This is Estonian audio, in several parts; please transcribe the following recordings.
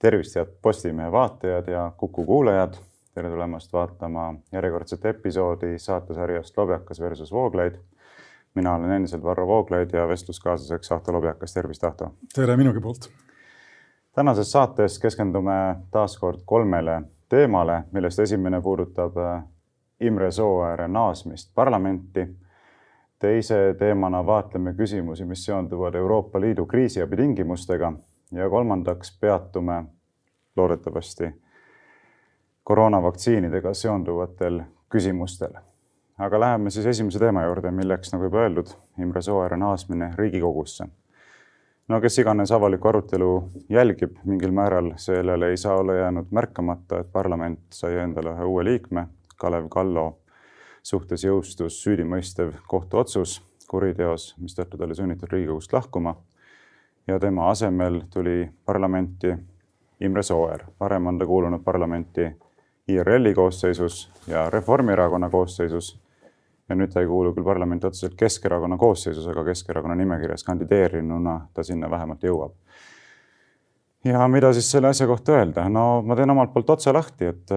Tervist, head Postimehe vaatajad ja Kuku kuulajad. Tere tulemast vaatama järjekordset episoodi saatesarjast Lobjakas versus Vooglaid. Mina olen endiselt Varro Vooglaid ja vestluskaaslaseks Ahto Lobjakas. Tervist, Ahto! Tere minugi poolt! Tänases saates keskendume taaskord 3 teemale, millest esimene puudutab Imre Sooääre naasmist parlamenti. Teise teemana vaatleme küsimusi, mis seonduvad Euroopa Liidu kriisiabi tingimustega. Ja kolmandaks peatume loodetavasti koroonavaktsiinidega seonduvatel küsimustel. Aga läheme siis esimese teema juurde, milleks, nagu juba öeldud, Imre Sooääre naasmine Riigikogusse. No kes iganes avaliku arutelu jälgib mingil määral, sellele ei saa olla jäänud märkamata, et parlament sai endale ühe uue liikme, Kalev Kallo suhtes jõustus süüdimõistev kohtuotsus kuriteos, mistõttu ta oli sunnitud Riigikogust lahkuma. Ja tema asemel tuli parlamenti Imre Sooäär. Varem on ta kuulunud parlamenti IRL-i koosseisus ja Reformierakonna koosseisus. Ja nüüd ta ei kuulu küll parlamenti otseselt Keskerakonna koosseisus, aga Keskerakonna nimekirjas kandideerinuna ta sinna vähemalt jõuab. Ja mida siis selle asja kohta öelda? No ma teen omalt poolt otsa lahti, et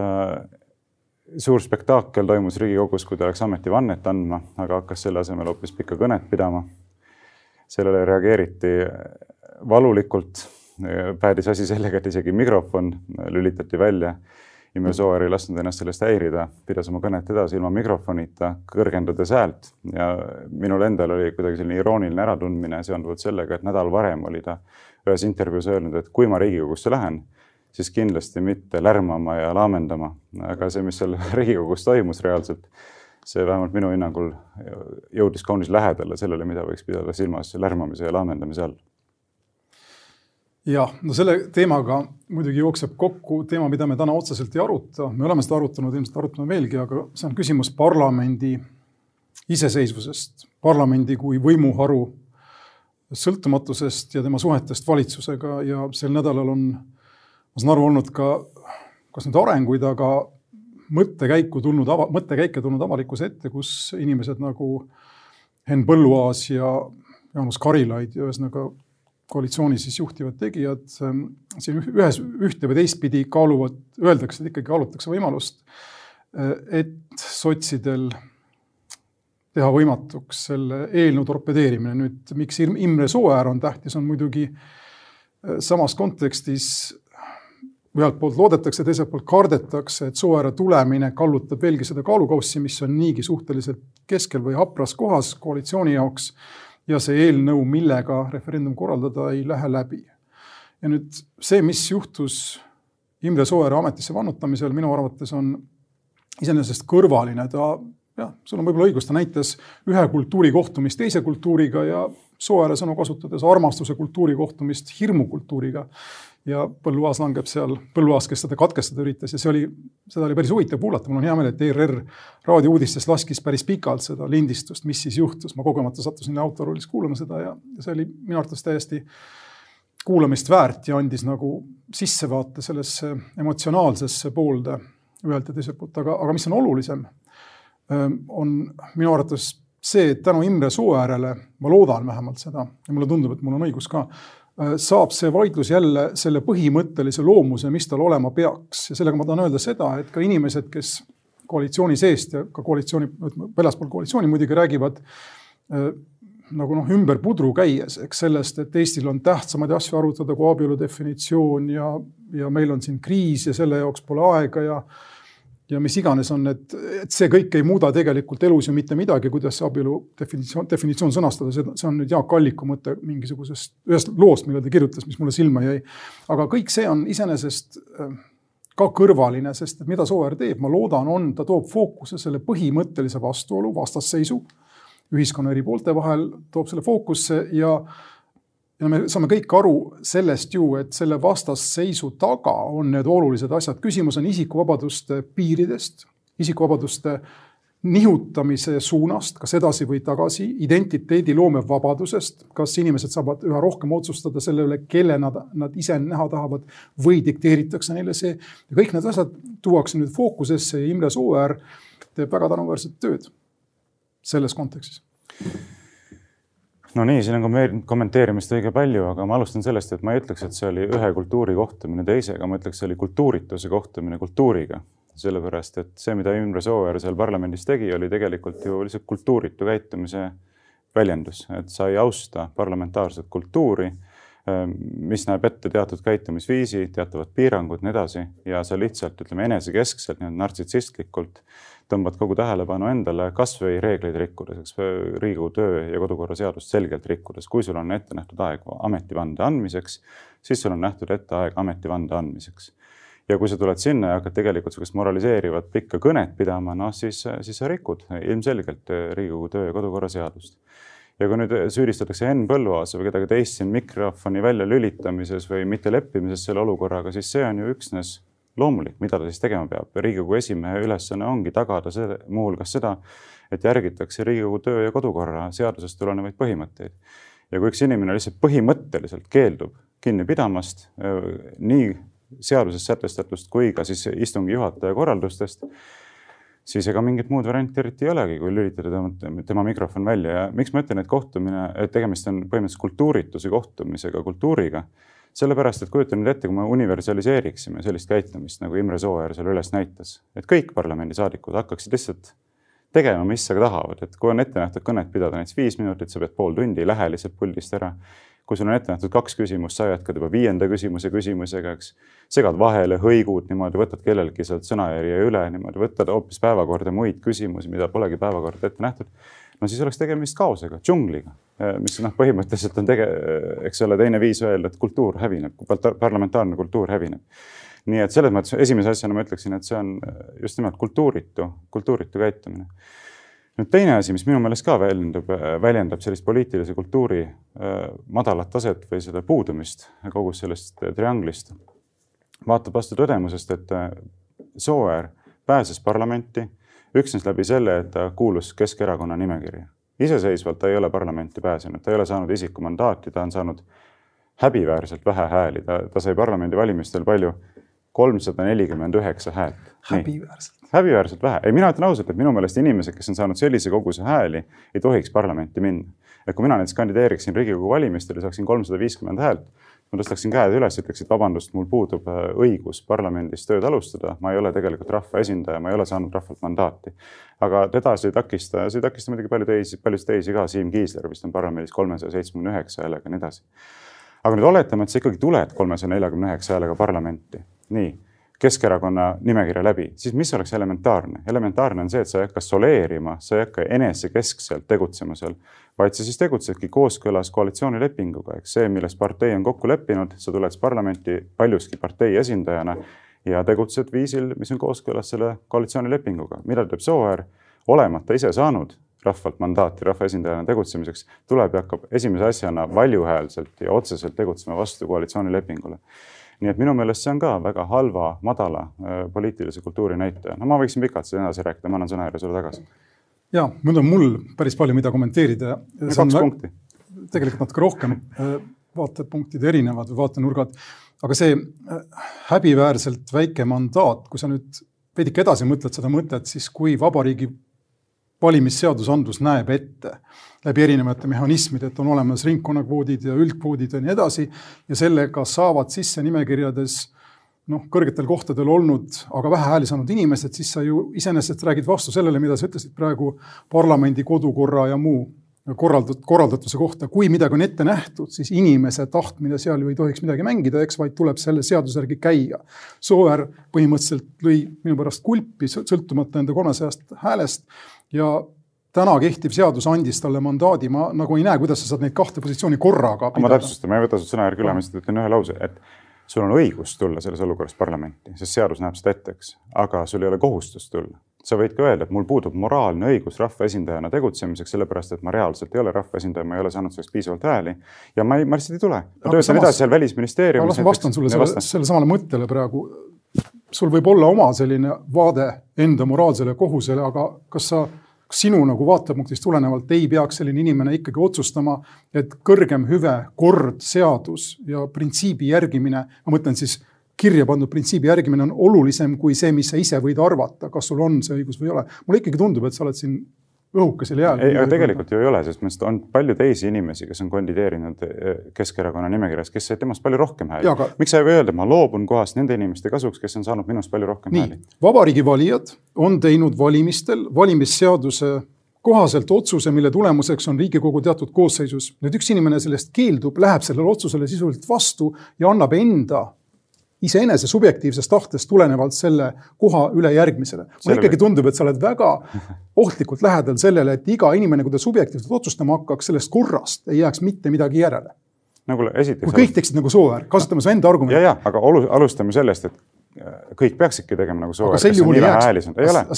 suur spektaakel toimus Riigikogus, kui ta läks ametivannet andma, aga hakkas selle asemel hoopis pikka kõnet pidama. Sellele reageeriti valulikult, päädis asi sellega, et isegi mikrofon lülitati välja. Imre Sooäär ei lasknud ennast sellest häirida, pidas oma kõnet edasi ilma mikrofonita, kõrgendades häält. Ja minul endal oli kuidagi selline irooniline äratundmine seonduvalt sellega, et nädal varem oli ta ühes intervjuus öelnud, et kui ma Riigikogusse lähen, siis kindlasti mitte lärmama ja laamendama. Aga see, mis seal Riigikogus toimus reaalselt, see vähemalt minu hinnangul jõudis kaunis lähedale sellele, mida võiks pidada silmas lärmamise ja laamendamise all. Jah, no selle teemaga muidugi jookseb kokku teema, mida me täna otseselt ei aruta. Me oleme seda arutanud, ilmselt arutame veelgi, aga see on küsimus parlamendi iseseisvusest, parlamendi kui võimuharu sõltumatusest ja tema suhetest valitsusega. Ja sel nädalal on, ma saan aru, olnud ka, kas nüüd arenguid, aga mõttekäike tulnud avalikkuse ette, kus inimesed nagu Henn Põlluaas ja Jaanus Karilaid ja ühesõnaga koalitsiooni siis juhtivad tegijad siin ühte või teistpidi kaaluvad, öeldakse, et ikkagi kaalutakse võimalust, et sotsidel teha võimatuks selle eelnõu torpedeerimine. Nüüd, miks Imre Sooäär on tähtis, on muidugi samas kontekstis ühelt poolt loodetakse, teiselt poolt kardetakse, et Sooääre tulemine kallutab veelgi seda kaalukaussi, mis on niigi suhteliselt keskel või hapras kohas koalitsiooni jaoks. Ja see eelnõu, millega referendum korraldada, ei lähe läbi. Ja nüüd see, mis juhtus Imre Sooääre ametisse vannutamisel, minu arvates on iseenesest kõrvaline. Sul on võib-olla õigus, ta näitas ühe kultuuri kohtumist teise kultuuriga ja Sooääre sõnu kasutades armastuse kultuuri kohtumist hirmukultuuriga. Ja Põlluaas langeb seal, Põlluaas, kes seda katkestada üritas ja seda oli päris huvitav kuulata. Mul on hea meel, et ERR raadiouudistes laskis päris pikalt seda lindistust, mis siis juhtus. Ma kogemata sattusin autoroolis kuulama seda ja see oli minu arvates täiesti kuulamist väärt ja andis nagu sissevaate sellesse emotsionaalsesse poolde ühelt ja teiselt poolt. Aga mis on olulisem, on minu arvates see, et tänu Imre Sooäärele, ma loodan vähemalt seda ja mulle tundub, et mul on õigus ka, saab see vaidlus jälle selle põhimõttelise loomuse, mis tal olema peaks. Ja sellega ma tahan öelda seda, et ka inimesed, kes koalitsiooni seest ja ka väljaspool koalitsiooni muidugi räägivad nagu ümber pudru käies, sellest, et Eestil on tähtsamaid asju arutada kui abielu definitsioon ja meil on siin kriis ja selle jaoks pole aega ja mis iganes on, et see kõik ei muuda tegelikult elus ju mitte midagi, kuidas see abielu definitsioon sõnastada. See on nüüd Jaak Alliku mõte mingisugusest ühest loost, mille ta kirjutas, mis mulle silma jäi. Aga kõik see on iseenesest ka kõrvaline, sest mida Sooäär teeb, ma loodan, ta toob fookuse selle põhimõttelise vastuolu, vastasseisu ühiskonna eri poolte vahel, toob selle fookusse ja me saame kõik aru sellest ju, et selle vastasseisu taga on need olulised asjad. Küsimus on isikuvabaduste piiridest, isikuvabaduste nihutamise suunast, kas edasi või tagasi, identiteedi loome vabadusest, kas inimesed saavad üha rohkem otsustada selle üle, kelle nad ise näha tahavad või dikteeritakse neile see. Ja kõik need asjad tuuakse nüüd fookusesse ja Imre Sooäär teeb väga tänuväärset tööd selles kontekstis. No nii, siin on kommenteerimist õige palju, aga ma alustan sellest, et ma ei ütleks, et see oli ühe kultuuri kohtumine teisega, ma ütleks, see oli kultuurituse kohtumine kultuuriga. Sellepärast, et see, mida Imre Sooäär seal parlamendis tegi, oli tegelikult ju lihtsalt kultuuritu käitumise väljendus, et sa ei austa parlamentaarset kultuuri, mis näeb ette teatud käitumisviisi, teatavad piirangud, nii edasi, ja sa lihtsalt, ütleme, enesekeskselt, nartsissistlikult tõmbad kogu tähelepanu endale kas või reegleid rikkudes, Riigikogu töö- ja kodukorra seadust selgelt rikkudes. Kui sul on ette nähtud aeg ametivande andmiseks, siis sul on nähtud ette aeg ametivande andmiseks. Ja kui sa tuled sinna ja hakkad tegelikult sellist moraliseerivat pikka kõnet pidama, no siis sa rikud ilmselgelt Riigikogu töö- ja kodukorra seadust. Ja kui nüüd süüdistatakse Henn Põlluaasa või kedagi teist siin mikrofoni välja lülitamises või mitte leppimises selle olukorraga, siis see on ju üksnes loomulik, mida ta siis tegema peab. Riigikogu esimehe ülesanne ongi tagada muuhulgas seda, et järgitakse Riigikogu töö- ja kodukorra seadusest tulenevaid põhimõtteid. Ja kui üks inimene lihtsalt põhimõtteliselt keeldub kinni pidamast nii seaduses sätestatust kui ka siis istungi juhataja korraldustest, siis ega mingit muud varianti eriti ei olegi, kui lülitada tema mikrofon välja. Ja miks ma ütlen, et tegemist on põhimõtteliselt kultuurituse kohtumisega kultuuriga, sellepärast, et kujutan nüüd ette, kui me universaliseeriksime sellist käitumist, nagu Imre Sooäär seal üles näitas, et kõik parlamendisaadikud hakkaksid lihtsalt tegema, mis aga tahavad. Et kui on ette nähtud kõnet pidada näiteks 5 minutit, sa pead pool tundi, lähe lihtsalt puldist ära. Kui sul on ette nähtud 2 küsimust, sa jätkad juba 5. küsimusega, eks. Segad vahele, hõigud, niimoodi võtad kellelgi sealt sõnajärje üle, niimoodi võtad hoopis päevakorda muid küsimusi, mida polegi päevakorda ette nähtud. No siis oleks tegemist kaosega, džungliga, mis põhimõtteliselt on eks ole, teine viis öelda, et kultuur hävineb, parlamentaarne kultuur hävineb. Nii et selles mõttes esimese asjana ma ütleksin, et see on just nimelt kultuuritu käitumine. Nüüd teine asi, mis minu meelest ka väljendab sellist poliitilise kultuuri madalat taset või seda puudumist kogu sellest trianglist, vaatab vastu tõdemusest, et Sooäär pääses parlamenti üksnes läbi selle, et ta kuulus Keskerakonna nimekirja. Iseseisvalt ta ei ole parlamenti pääsenud, ta ei ole saanud isikumandaati, ta on saanud häbiväärselt vähe hääli. Ta sai parlamendi valimistel palju 349 häält. Häbiväärselt vähe. Ei, mina ütlen ausalt, et minu meelest inimesed, kes on saanud sellise koguse hääli, ei tohiks parlamenti minna. Ja kui mina näiteks kandideeriksin Riigikogu valimistel ja saaksin 350 häält, ma tõstaksin käed üles, ütleks, et vabandust, mul puudub õigus parlamendis tööd alustada, ma ei ole tegelikult rahva esindaja, ma ei ole saanud rahvalt mandaati. Aga teda see ei takista muidugi palju teisi ka, Siim Kiisler vist on parlamendis 379 häälega ja nii edasi. Aga nüüd oletame, et sa ikkagi tuled 349 häälega parlamenti, nii, Keskerakonna nimekirja läbi, siis mis oleks elementaarne? Elementaarne on see, et sa ei hakka soleerima, sa ei hakka enesekeskselt tegutsema seal, vaid sa siis tegutsedki kooskõlas koalitsioonilepinguga. See, milles partei on kokku leppinud, sa tuled parlamenti paljuski partei esindajana ja tegutsed viisil, mis on kooskõlas selle koalitsioonilepinguga. Mida teeb Sooäär, olemata ise saanud rahvalt mandaati rahva esindajana tegutsemiseks, tuleb ja hakkab esimese asjana valjuhäälselt ja otseselt tegutsema vastu koalitsioonilepingule. Nii et minu meelest see on ka väga halva, madala poliitilise kultuuri näitaja. No ma võiksin pikalt seda edasi rääkida, ma annan sõnajärje sulle tagasi. Ja, mul päris palju mida kommenteerida. 2 punkti. Tegelikult natuke rohkem vaatepunktid erinevad või vaatenurgad. Aga see häbiväärselt väike mandaat, kui sa nüüd veidike edasi mõtled seda mõtet, siis kui vabariigi valimisseadusandlus näeb ette läbi erinevate mehhanismid, et on olemas ringkonnakvoodid ja üldkvoodid ja nii edasi ja sellega saavad sisse nimekirjades kõrgetel kohtadel olnud, aga vähe hääli saanud inimesed, siis sa ju iseenesest räägid vastu sellele, mida sa ütlesid praegu parlamendi kodukorra ja muu korraldatuse kohta. Kui midagi on ette nähtud, siis inimese tahtmine seal ju ei tohiks midagi mängida, eks, vaid tuleb selle seaduse järgi käia. Sooäär põhimõtteliselt lõi minu pärast kulpi sõltumata enda 300 häälest ja täna kehtiv seadus andis talle mandaadi. Ma nagu ei näe, kuidas sa saad neid 2 positsiooni korraga pidada. Ma täpsustan, ma ei võta sult sõnajärgi üle, ma ütlen ühe lause, et sul on õigus tulla selles olukorras parlamenti, sest seadus näeb seda etteks, aga sul ei ole kohustust tulla. Sa võid ka öelda, et mul puudub moraalne õigus rahva esindajana tegutsemiseks, sellepärast, et ma reaalselt ei ole rahva esindaja, ma ei ole saanud sellest piisavalt hääli ja ma lihtsalt ei tule. Ma töötan edasi seal välisministeeriumis. Ma vastan sulle selle samale mõttele praegu. Sul võib olla oma selline vaade enda moraalsele kohusele, aga kas sinu nagu vaatepunktist tulenevalt ei peaks selline inimene ikkagi otsustama, et kõrgem hüve, kord, seadus ja printsiibi järgimine, ma mõtlen siis kirja pandud printsiibi järgimine on olulisem kui see, mis sa ise võid arvata, kas sul on see õigus või ei ole. Mulle ikkagi tundub, et sa oled siin õhukesel jääl. Ei, aga tegelikult ju ei ole, sest on palju teisi inimesi, kes on kandideerinud Keskerakonna nimekirjas, kes said temast palju rohkem hääli. Miks sa ei või öelda, ma loobun kohast nende inimeste kasuks, kes on saanud minust palju rohkem hääli? Vabariigi valijad on teinud valimistel valimisseaduse kohaselt otsuse, mille tulemuseks on Riigikogu teatud koosseisus. Nüüd üks inimene sellest keeldub, läheb sellele otsusele sisuliselt vastu ja annab enda iseenese subjektiivsest tahtest tulenevalt selle koha üle järgmisele. Mulle ikkagi tundub, et sa oled väga ohtlikult lähedal sellele, et iga inimene, kui ta subjektiivselt otsustama hakkaks, sellest korrast ei jääks mitte midagi järele. Kui kõik teeksid nagu Sooäär, kasutame su enda argumenti. Ja, aga alustame sellest, et kõik peaksidki tegema nagu Sooäär, kes on nii vähe häälis.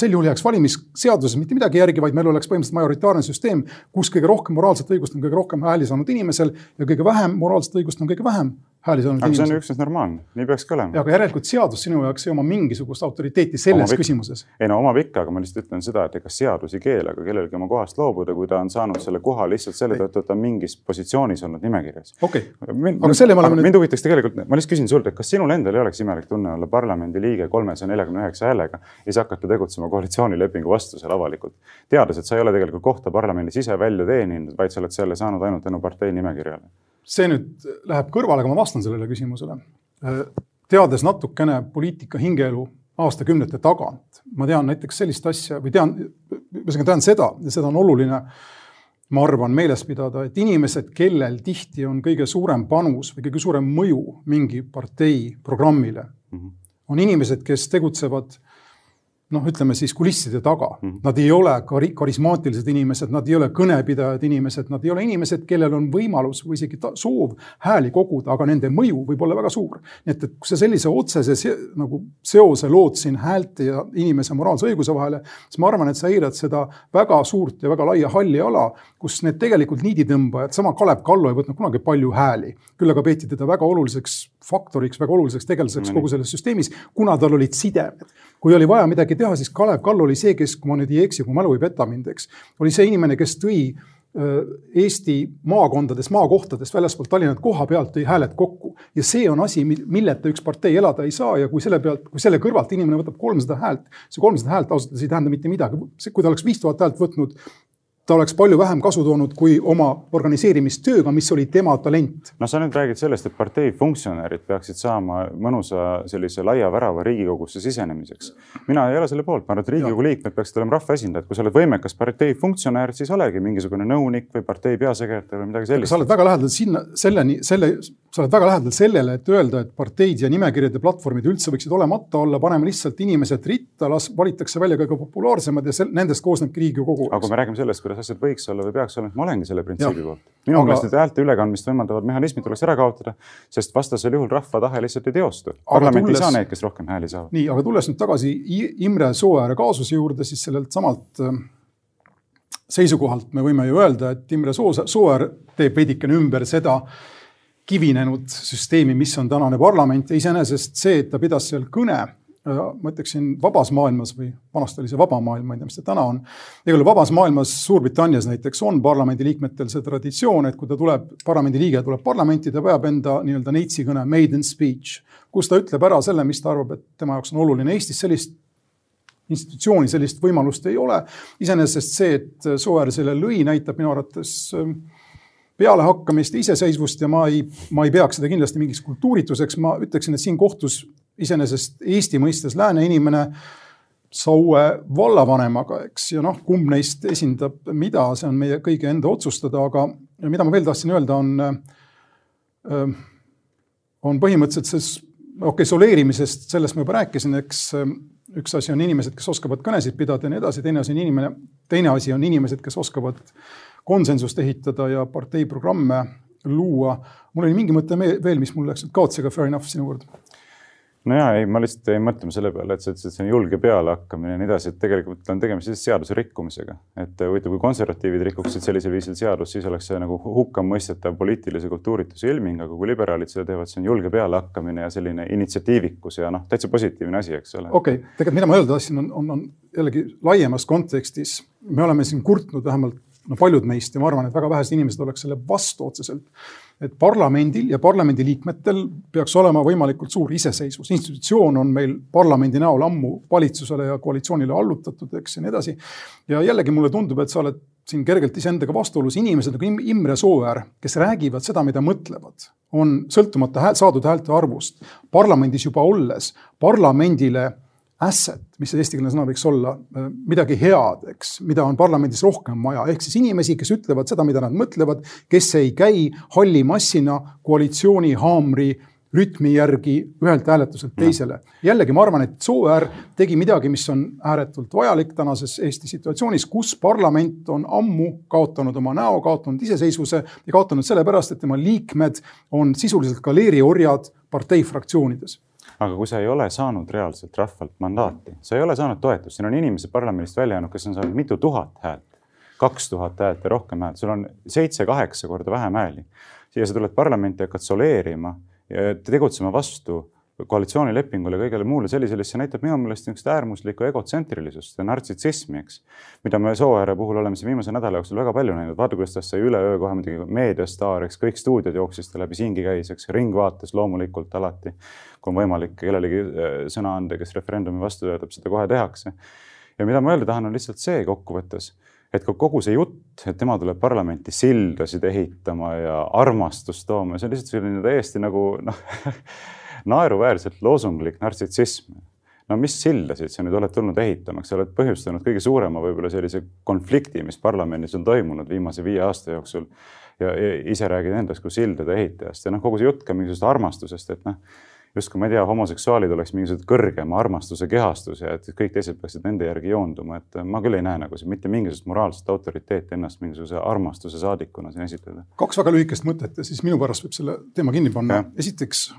Sel juhul jääks valimisseaduses mitte midagi järgi, vaid meil oleks põhimõtteliselt majoritaarne süsteem, kus kõige rohkem moraalset õigust on kõige rohkem hääli saanud inimesel ja kõige vähem moraalset õigust on kõige vähem hääli saanud inimesel. Aga see on üksnes normaalne, nii peakski olema. Aga järelikult seadus sinu jaoks ei oma mingisugust autoriteeti selles küsimuses. Ei no omab ikka, aga ma lihtsalt ütlen seda, et ega seadus ei keela ka kellelgi oma kohast loobuda, kui ta on saanud selle koha lihtsalt selle tõttu, et ta on mingis positsioonis olnud nimekirjas. Okei. Mind huvitaks tegelikult, ma lihtsalt küsin sult, et kas sinul endal ei oleks imelik tunne olla parlamendi liige 349 häälega ja siis hakata tegutsema koalitsioonilepingu vastusel avalikult. Teades, et sa ei ole tegelikult kohta parlamendis ise välja teeninud, vaid sa oled selle saanud ainult tänu partei nimekirjale. See nüüd läheb kõrvale, aga ma vastan sellele küsimusele. Teades natukene poliitika hingeelu aastakümnete tagant, ma tean näiteks sellist asja, või tean seda, ja seda on oluline, ma arvan, meeles pidada, et inimesed, kellel tihti on kõige suurem panus või kõige suurem mõju mingi partei programmile, on inimesed, kes tegutsevad ütleme siis kulisside taga. Nad ei ole karismaatilised inimesed, nad ei ole kõnepidajad inimesed, nad ei ole inimesed, kellel on võimalus või isegi soov hääli koguda, aga nende mõju võib olla väga suur. Nii et kui sa sellise otsese seose lood siin häälte ja inimese moraalse õiguse vahele, siis ma arvan, et sa eirad seda väga suurt ja väga laia halli ala, kus need tegelikult niiditõmbajad, sama Kalev Kallo ei võtnud kunagi palju hääli. Küll aga peeti teda väga oluliseks faktoriks, väga oluliseks tegelaseks kogu selles süsteemis, kuna tal olid sidemed. Kui oli vaja midagi teha, siis Kalev Kallo oli see, kes, kui ma nüüd ei eksi, kui mälu ei peta mind, oli see inimene, kes tõi Eesti maakohtades väljaspool Tallinnat koha pealt tõi hääled kokku. Ja see on asi, milleta üks partei elada ei saa ja kui selle kõrvalt inimene võtab 300 häält, see 300 häält ausalt ei tähenda mitte midagi. Kui ta oleks 5000 häält võtnud, ta oleks palju vähem kasu toonud kui oma organiseerimistööga, mis oli tema talent. No sa nüüd räägid sellest, et partei funktsionäärid peaksid saama mõnusa sellise laia värava Riigikogusse sisenemiseks. Mina ei ole selle poolt, ma arvan, et Riigikogu liikmed peaksid olema rahvaesindajad. Kui sa oled võimekas partei funktsionäär, siis olegi mingisugune nõunik või partei peasekretär või midagi sellist. Sa oled väga lähedal sellele, et öelda, et parteid ja nimekirjad ja platvormid üldse võiksid olemata olla, paneme lihtsalt inimesed ritta, valitakse välja kõige populaarsemad ja nendest koosnebki Riigikogu. Aga kui me räägime sellest, kuidas asjad võiks olla või peaks olema, ma olengi selle printsiibi poolt. Minu meelest need häälte ülekandmist võimaldavad mehhanismid tuleks ära kaotada, sest vastasel juhul rahva tahe lihtsalt ei teostu. Parlament ei saa neid, kes rohkem hääli saavad. Nii, aga tulles nüüd tagasi Imre Sooääre kaasuse juurde, siis sellelt samalt seisukohalt me võime ju öelda, et Imre Sooäär teeb veidikene ümber seda kivinenud süsteemi, mis on tänane parlament ja iseenesest see, et ta pidas seal kõne, ma ütleksin vabas maailmas või vanast oli see vaba maailm, ma ei tea, mis see täna on. Ega vabas maailmas Suurbritannias näiteks on parlamendi liikmetel see traditsioon, et kui ta tuleb, parlamendi liige tuleb parlamenti, ta peab enda nii-öelda neitsi kõne maiden speech, kus ta ütleb ära selle, mis ta arvab, et tema jaoks on oluline. Eestis sellist institutsiooni, sellist võimalust ei ole. Iseenesest see, et Sooäär selle lõi, näitab minu arvates peale hakkamist iseseisvust ja ma ei peaks seda kindlasti mingiks kultuurituseks. Ma ütleksin, et siin kohtus iseenesest Eesti mõistes lääne inimene Saue vallavanemaga, eks, ja kumb neist esindab mida, see on meie kõige enda otsustada, aga mida ma veel tahtsin öelda on põhimõtteliselt soleerimisest, sellest ma juba rääkisin, eks üks asi on inimesed, kes oskavad kõnesid pidada ja nii edasi, teine asi on inimesed, kes oskavad konsensust ehitada ja partei programme luua. Mul oli mingi mõte veel, mis mul läks kaotsega fair enough sinu kord. No jaa, ma lihtsalt ei mõtlema selle peale, et see on julge peale hakkamine ja nii edasi, et tegelikult on tegemist seaduse rikkumisega. Et kui konservatiivid rikuksid sellisel viisil seadus, siis oleks see nagu hukka mõistetav poliitilise kultuurituse ilming, aga kui liberaalid seda teevad, see on julge peale hakkamine ja selline initsiatiivikus ja täitsa positiivne asi, eks ole. Okei, tegelikult mida ma öelda tahtsin on jällegi laiemas kontekstis. Me oleme siin kurtnud vähemalt paljud meist ja ma arvan, et väga vähesed inimesed oleks selle vastu otseselt, et parlamendil ja parlamendi liikmetel peaks olema võimalikult suur iseseisvus. Institutsioon on meil parlamendi näol ammu valitsusele ja koalitsioonile allutatud, eks, ja nii edasi. Ja jällegi mulle tundub, et sa oled siin kergelt iseendaga vastuolus. Inimesed nagu Imre Sooäär, kes räägivad seda, mida mõtlevad, on sõltumata saadud häälte arvust parlamendis juba olles parlamendile asset, mis eestikeelne sõna võiks olla, midagi head, eks, mida on parlamendis rohkem vaja. Ehk siis inimesi, kes ütlevad seda, mida nad mõtlevad, kes ei käi halli massina koalitsiooni haamri rütmi järgi ühelt hääletuselt teisele. Jällegi ma arvan, et Sooäär tegi midagi, mis on ääretult vajalik tänases Eesti situatsioonis, kus parlament on ammu kaotanud oma näo, kaotanud iseseisvuse ja kaotanud sellepärast, et tema liikmed on sisuliselt ka leeriorjad parteifraktsioonides. Aga kui sa ei ole saanud reaalselt rahvalt mandaati, sa ei ole saanud toetust, siin on inimesed parlamendist välja jäänud, kes on saanud mitu tuhat häält, 2000 häält ja rohkem häält, sul on 7-8 korda vähem hääli. Ja sa tuled parlamenti ja hakkad soleerima ja tegutsema vastu koalitsioonilepingule ja kõigele muule sellisele, see näitab minu meelest niisugust äärmuslikku egotsentrilisust ja nartsissismi, eks, mida me Sooääre puhul oleme siin viimase nädala jooksul väga palju näinud. Vaata, kuidas ta sai üleöö kohe muidugi meediastaar, eks, kõik stuudiod jooksis ta läbi siingi käis, eks, ringvaates loomulikult alati, kui on võimalik kellelegi sõna anda, kes referendumi vastu töötab, seda kohe tehakse. Ja mida ma öelda tahan, on lihtsalt see kokkuvõttes, et kogu see jutt, et tema tuleb parlamenti sildasid ehitama ja armastust tooma, see on lihtsalt selline täiesti nagu naeruväärselt loosunglik nartsissism. No mis sildasid sa nüüd oled tulnud ehitama, sa oled põhjustanud kõige suurema võib-olla sellise konflikti, mis parlamendis on toimunud viimase 5 aasta jooksul ja ise räägid endast kui sildade ehitajast. Ja kogu see jutt ka mingisugust armastusest, et justkui ma ei tea, homoseksuaalid oleks mingisugused kõrgema armastuse kehastus ja et kõik teised peaksid nende järgi joonduma. Et ma küll ei näe nagu see mitte mingisugust moraalset autoriteeti ennast mingisuguse armastuse saadikuna siin esitada. 2 väga lühikest mõtet ja siis minu pärast võib selle teema kinni panna. Esiteks,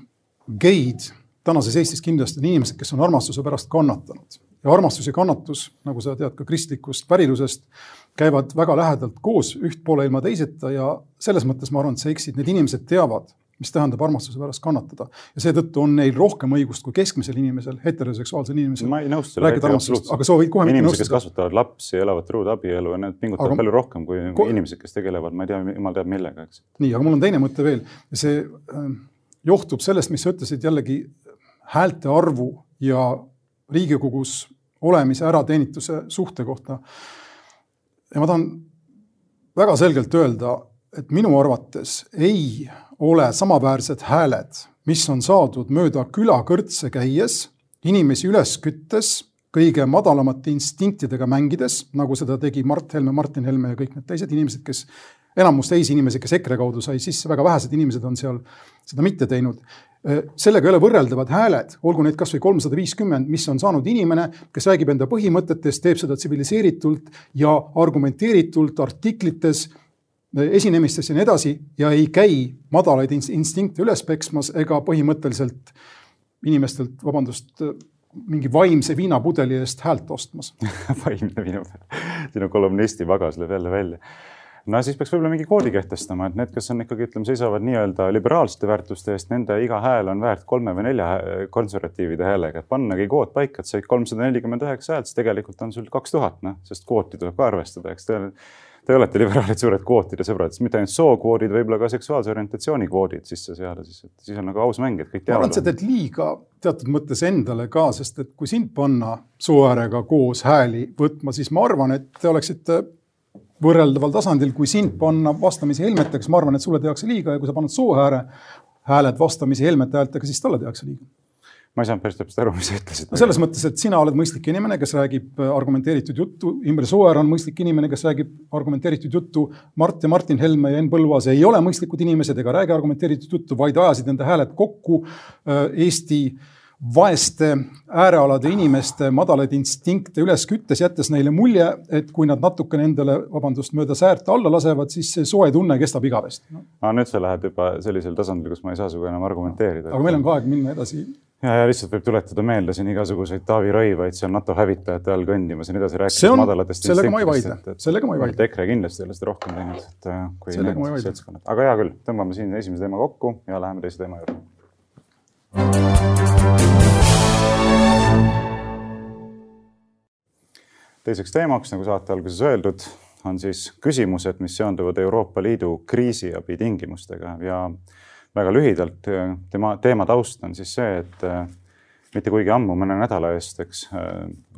geid tänases Eestis kindlasti on inimesed, kes on armastuse pärast kannatanud. Ja armastus ja kannatus, nagu sa tead ka kristlikust pärilusest, käivad väga lähedalt koos üht poole ilma teiseta ja selles mõttes ma arvan, et sa eksid. Need inimesed teavad, mis tähendab armastuse pärast kannatada. Ja seetõttu on neil rohkem õigust kui keskmisel inimesel, heteroseksuaalsel inimesel. Ma ei nõustu selle absoluutselt. Aga sa võid kohe mitte inimesed, kes kasvatavad lapsi, elavad truud abielu ja need pingutavad palju rohkem kui inimesed, kes tegelevad, ma ei tea, jumal teab millega. Eks. Nii, aga mul on teine mõte veel. See johtub sellest, mis sa ütlesid jällegi häälte arvu ja Riigikogus olemise ärateenituse suhte kohta. Ja ma tahan väga selgelt öelda, et minu arvates ei ole samaväärsed hääled, mis on saadud mööda külakõrtse käies, inimesi üles küttes, kõige madalamate instinktidega mängides, nagu seda tegi Mart Helme, Martin Helme ja kõik need teised inimesed, kes enamus teisi inimesi, kes EKRE kaudu sai sisse, väga vähesed inimesed on seal seda mitte teinud. Sellega ei ole võrreldavad hääled, olgu neid kas või 350, mis on saanud inimene, kes räägib enda põhimõtetest, teeb seda tsiviliseeritult ja argumenteeritult artiklites, esinemistes ja nii edasi ja ei käi madalaid instinkte üles peksmas ega põhimõtteliselt inimestelt, mingi vaimse viinapudeli eest häält ostmas. Vaimne viinapudeli. Sinu kolumnisti vagas lööb jälle välja. No siis peaks võib-olla mingi koodi kehtestama, et need, kes on ikkagi, seisavad nii-öelda liberaalsete väärtuste eest, nende iga hääl on väärt 3 või 4 konservatiivide häälega. Et pannagi kood paika, et said 349 häält, siis tegelikult on sul 2000, sest kvooti tuleb ka arvestada. Eks te olete liberaalid suured kvootide sõbrad, siis mitte ainult sookvoodid, võib-olla ka seksuaalse orientatsiooni kvoodid sisse seada, siis on nagu aus mäng, et kõik teavad. Ma arvan, et sa teed liiga teatud mõttes endale ka, sest et kui sind panna Sooäärega koos hääli võtma, siis ma arvan, et te oleksite võrreldaval tasandil, kui sind panna vastamisi Helmetega, ma arvan, et sulle tehakse liiga ja kui sa pannad Sooääre hääled vastamisi Helmete häältega, siis talle tehakse liiga. Ma ei saanud päris täpselt aru, mis sa ütlesid. No selles mõttes, et sina oled mõistlik inimene, kes räägib argumenteeritud juttu. Imre Sooäär on mõistlik inimene, kes räägib argumenteeritud juttu. Mart ja Martin Helme ja Enn Põlluaas ei ole mõistlikud inimesed ega räägi argumenteeritud juttu, vaid ajasid enda hääled kokku Eesti vaeste äärealade inimeste madalaid instinkte üles küttes, jättes neile mulje, et kui nad natuke nendele, mööda säärt alla lasevad, siis see soe tunne kestab igavesti. Nüüd sa lähed juba sellisel tasandil, kus ma ei saa suga enam argumenteerida. Aga meil on ka aeg minna edasi. Ja lihtsalt võib tuletada meelde siin igasuguseid Taavi Rõivaid, seal NATO hävitajate all kõndimas ja nii edasi rääkides madalatest. Sellega ma ei vaidle. EKRE kindlasti ei ole seda rohkem teinud kui need seltskonnad. Aga hea küll, tõmbame siin esimese teema kokku ja läheme teise teema juurde. Teiseks teemaks, nagu saate alguses öeldud, on siis küsimused, mis seonduvad Euroopa Liidu kriisiabi tingimustega ja väga lühidalt teema taust on siis see, et mitte kuigi ammu, mõne nädala eest,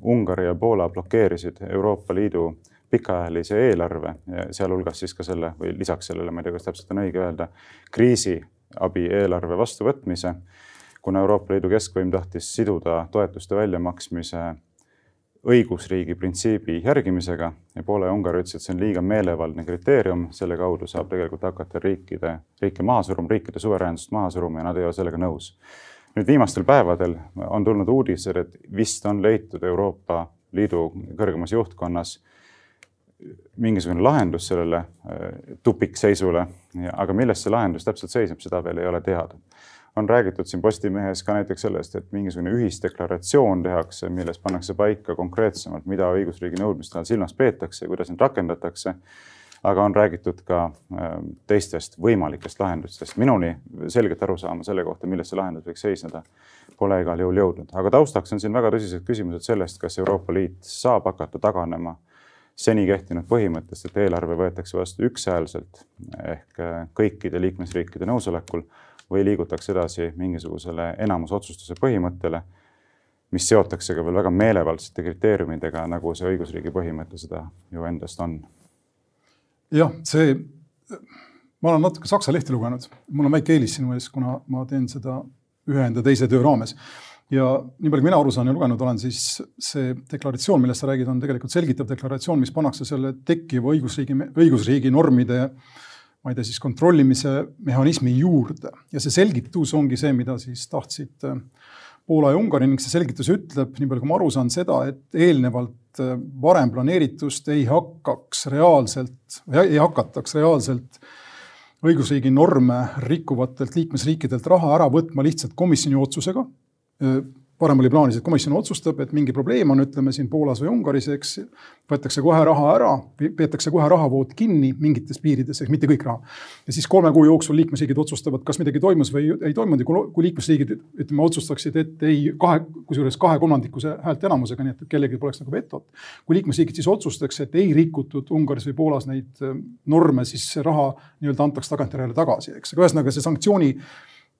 Ungari ja Poola blokeerisid Euroopa Liidu pikaajalise eelarve, sealhulgas siis ka selle, või lisaks sellele, ma ei tea, kas täpselt on õige öelda, kriisiabi eelarve vastuvõtmise, kuna Euroopa Liidu keskvõim tahtis siduda toetuste väljamaksmise õigusriigi printsiibi järgimisega ja Poola ja Ungari ütlesid, et see on liiga meelevaldne kriteerium, selle kaudu saab tegelikult hakata riike maha suruma, riikide suveräänsust maha suruma ja nad ei ole sellega nõus. Nüüd viimastel päevadel on tulnud uudised, et vist on leitud Euroopa Liidu kõrgemas juhtkonnas mingisugune lahendus sellele tupikseisule, aga milles see lahendus täpselt seisneb, seda veel ei ole teada. On räägitud siin Postimehes ka näiteks sellest, et mingisugune ühisdeklaratsioon tehakse, milles pannakse paika konkreetsemalt, mida õigusriigi nõudmiste all silmas peetakse ja kuidas neid rakendatakse, aga on räägitud ka teistest võimalikest lahendustest. Minuni selgelt aru saama selle kohta, milles see lahendus võiks seisneda, pole igal juhul jõudnud. Aga taustaks on siin väga tõsised küsimused sellest, kas Euroopa Liit saab hakata taganema seni kehtinud põhimõttest, et eelarve võetakse vastu ükshäälselt ehk kõikide liikmesriikide nõusolekul või liigutakse edasi mingisugusele enamusotsustuse põhimõttele, mis seotakse ka veel väga meelevaldsete kriteeriumidega, nagu see õigusriigi põhimõte seda ju endast on. Jah, ma olen natuke Saksa lehti lugenud. Mul on väike eelis sinu ees, kuna ma teen seda ühe enda teise töö raames. Ja nii palju, mina aru saan ja lugenud olen, siis see deklaratsioon, millest sa räägid, on tegelikult selgitav deklaratsioon, mis pannakse selle tekkiva õigusriigi normide ma ei tea, siis kontrollimise mehhanismi juurde. Ja see selgitus ongi see, mida siis tahtsid Poola ja Ungari ning see selgitus ütleb, nii palju kui ma aru saan seda, et eelnevalt varem planeeritust ei hakataks reaalselt õigusriigi norme rikkuvatelt liikmesriikidelt raha ära võtma lihtsalt komisjoni otsusega. Varem oli plaanis, et komisjon otsustab, et mingi probleem on, ütleme siin Poolas või Ungaris, võetakse kohe raha ära, peetakse kohe rahavood kinni mingites piirides, ehk mitte kõik raha. Ja siis 3 kuu jooksul liikmesriigid otsustavad, kas midagi toimus või ei toimunud. Kui liikmesriigid otsustaksid, et kusjuures 2/3 häälte enamusega, nii et kellelgi poleks nagu vetot. Kui liikmesriigid siis otsustaks, et ei rikutud Ungaris või Poolas neid norme, siis see raha nii-öelda antaks tagantjärele tagasi. Ühesõnaga see sanktsiooni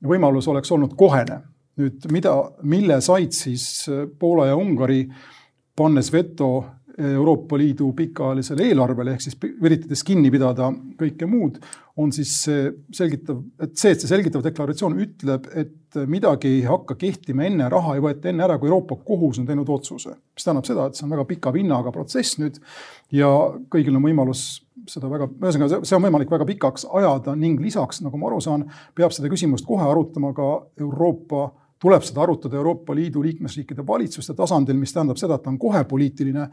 võimalus oleks olnud kohene. Nüüd, mille said siis Poola ja Ungari pannes veto Euroopa Liidu pikaajalisele eelarvele, ehk siis üritades kinni pidada kõike muud, on siis see selgitav deklaratsioon ütleb, et midagi ei hakka kehtima enne, raha ei võeta enne ära, kui Euroopa kohus on teinud otsuse. Mis tähendab seda, et see on väga pika vinnaga protsess nüüd ja kõigil on võimalus see on võimalik väga pikaks ajada ning lisaks, nagu ma aru saan, peab seda küsimust kohe arutama ka tuleb seda arutada Euroopa Liidu liikmesriikide valitsuste tasandil, mis tähendab seda, et ta on kohe poliitiline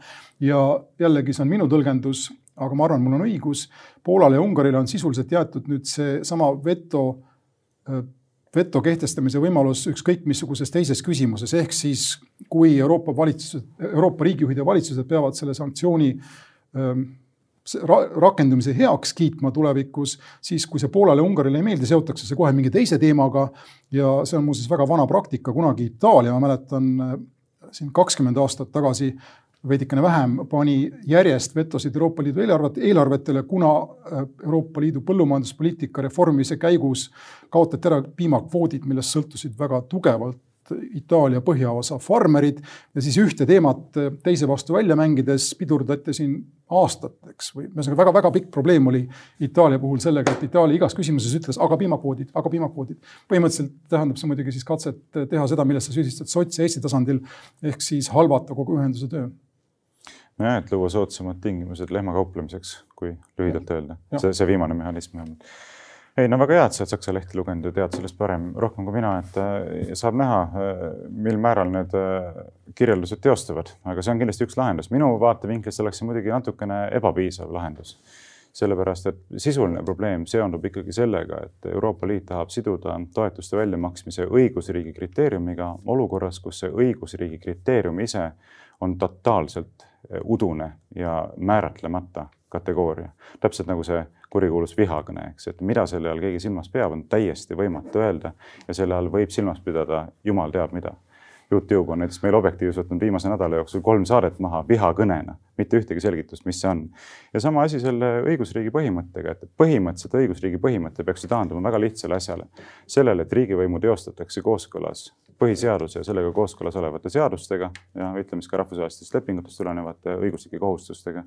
ja jällegi see on minu tõlgendus, aga ma arvan, mul on õigus. Poolale ja Ungarile on sisuliselt jäetud nüüd see sama veto kehtestamise võimalus ükskõik missuguses teises küsimuses, ehk siis kui Euroopa riigijuhid ja valitsused peavad selle sanktsiooni rakendumise heaks kiitma tulevikus, siis kui see Poolale ja Ungarile ei meeldi, seotakse see kohe mingi teise teemaga ja see on muuseas väga vana praktika. Kunagi Itaalia, ma mäletan siin 20 aastat tagasi, veidikene vähem, pani järjest vetosid Euroopa Liidu eelarvetele, kuna Euroopa Liidu põllumajanduspoliitika reformimise käigus kaotati ära piimakvoodid, millest sõltusid väga tugevalt Itaalia põhjaosa farmerid ja siis ühte teemat teise vastu välja mängides pidurdati siin aastateks. Väga pikk probleem oli Itaalia puhul sellega, et Itaalia igas küsimuses ütles, aga piimakvoodid. Põhimõtteliselt tähendab see muidugi siis katset teha seda, millest sa süüdistad sots ja Eesti tasandil, ehk siis halvata kogu ühenduse töö. Ja, et luua soodsamad tingimused lehmakauplemiseks, kui lühidalt öelda. See viimane mehhanism. Ei, no väga hea, et sa oled Saksa lehti lugenud ja tead sellest rohkem kui mina, et saab näha, mil määral need kirjeldused teostavad, aga see on kindlasti üks lahendus. Minu vaatevinklist oleks see muidugi natukene ebapiisav lahendus, sellepärast et sisuline probleem seondub ikkagi sellega, et Euroopa Liit tahab siduda toetuste väljamaksmise õigusriigi kriteeriumiga olukorras, kus see õigusriigi kriteerium ise on totaalselt udune ja määratlemata kategooria. Täpselt nagu see kurikuulus vihakõne, et mida selle all keegi silmas peab, on täiesti võimatu öelda ja selle all võib silmas pidada jumal teab mida. YouTube on näiteks meil Objektiivis võtnud viimase nädala jooksul 3 saadet maha vihakõnena, mitte ühtegi selgitust, mis see on. Ja sama asi selle õigusriigi põhimõttega, et põhimõtteliselt õigusriigi põhimõte peaks taanduma väga lihtsale asjale. Sellele, et riigivõimu teostatakse kooskõlas põhiseaduse ja sellega kooskõlas olevate seadustega ja ütleme ka rahvusvahelistest lepingutest tulenevate õiguslike kohustustega.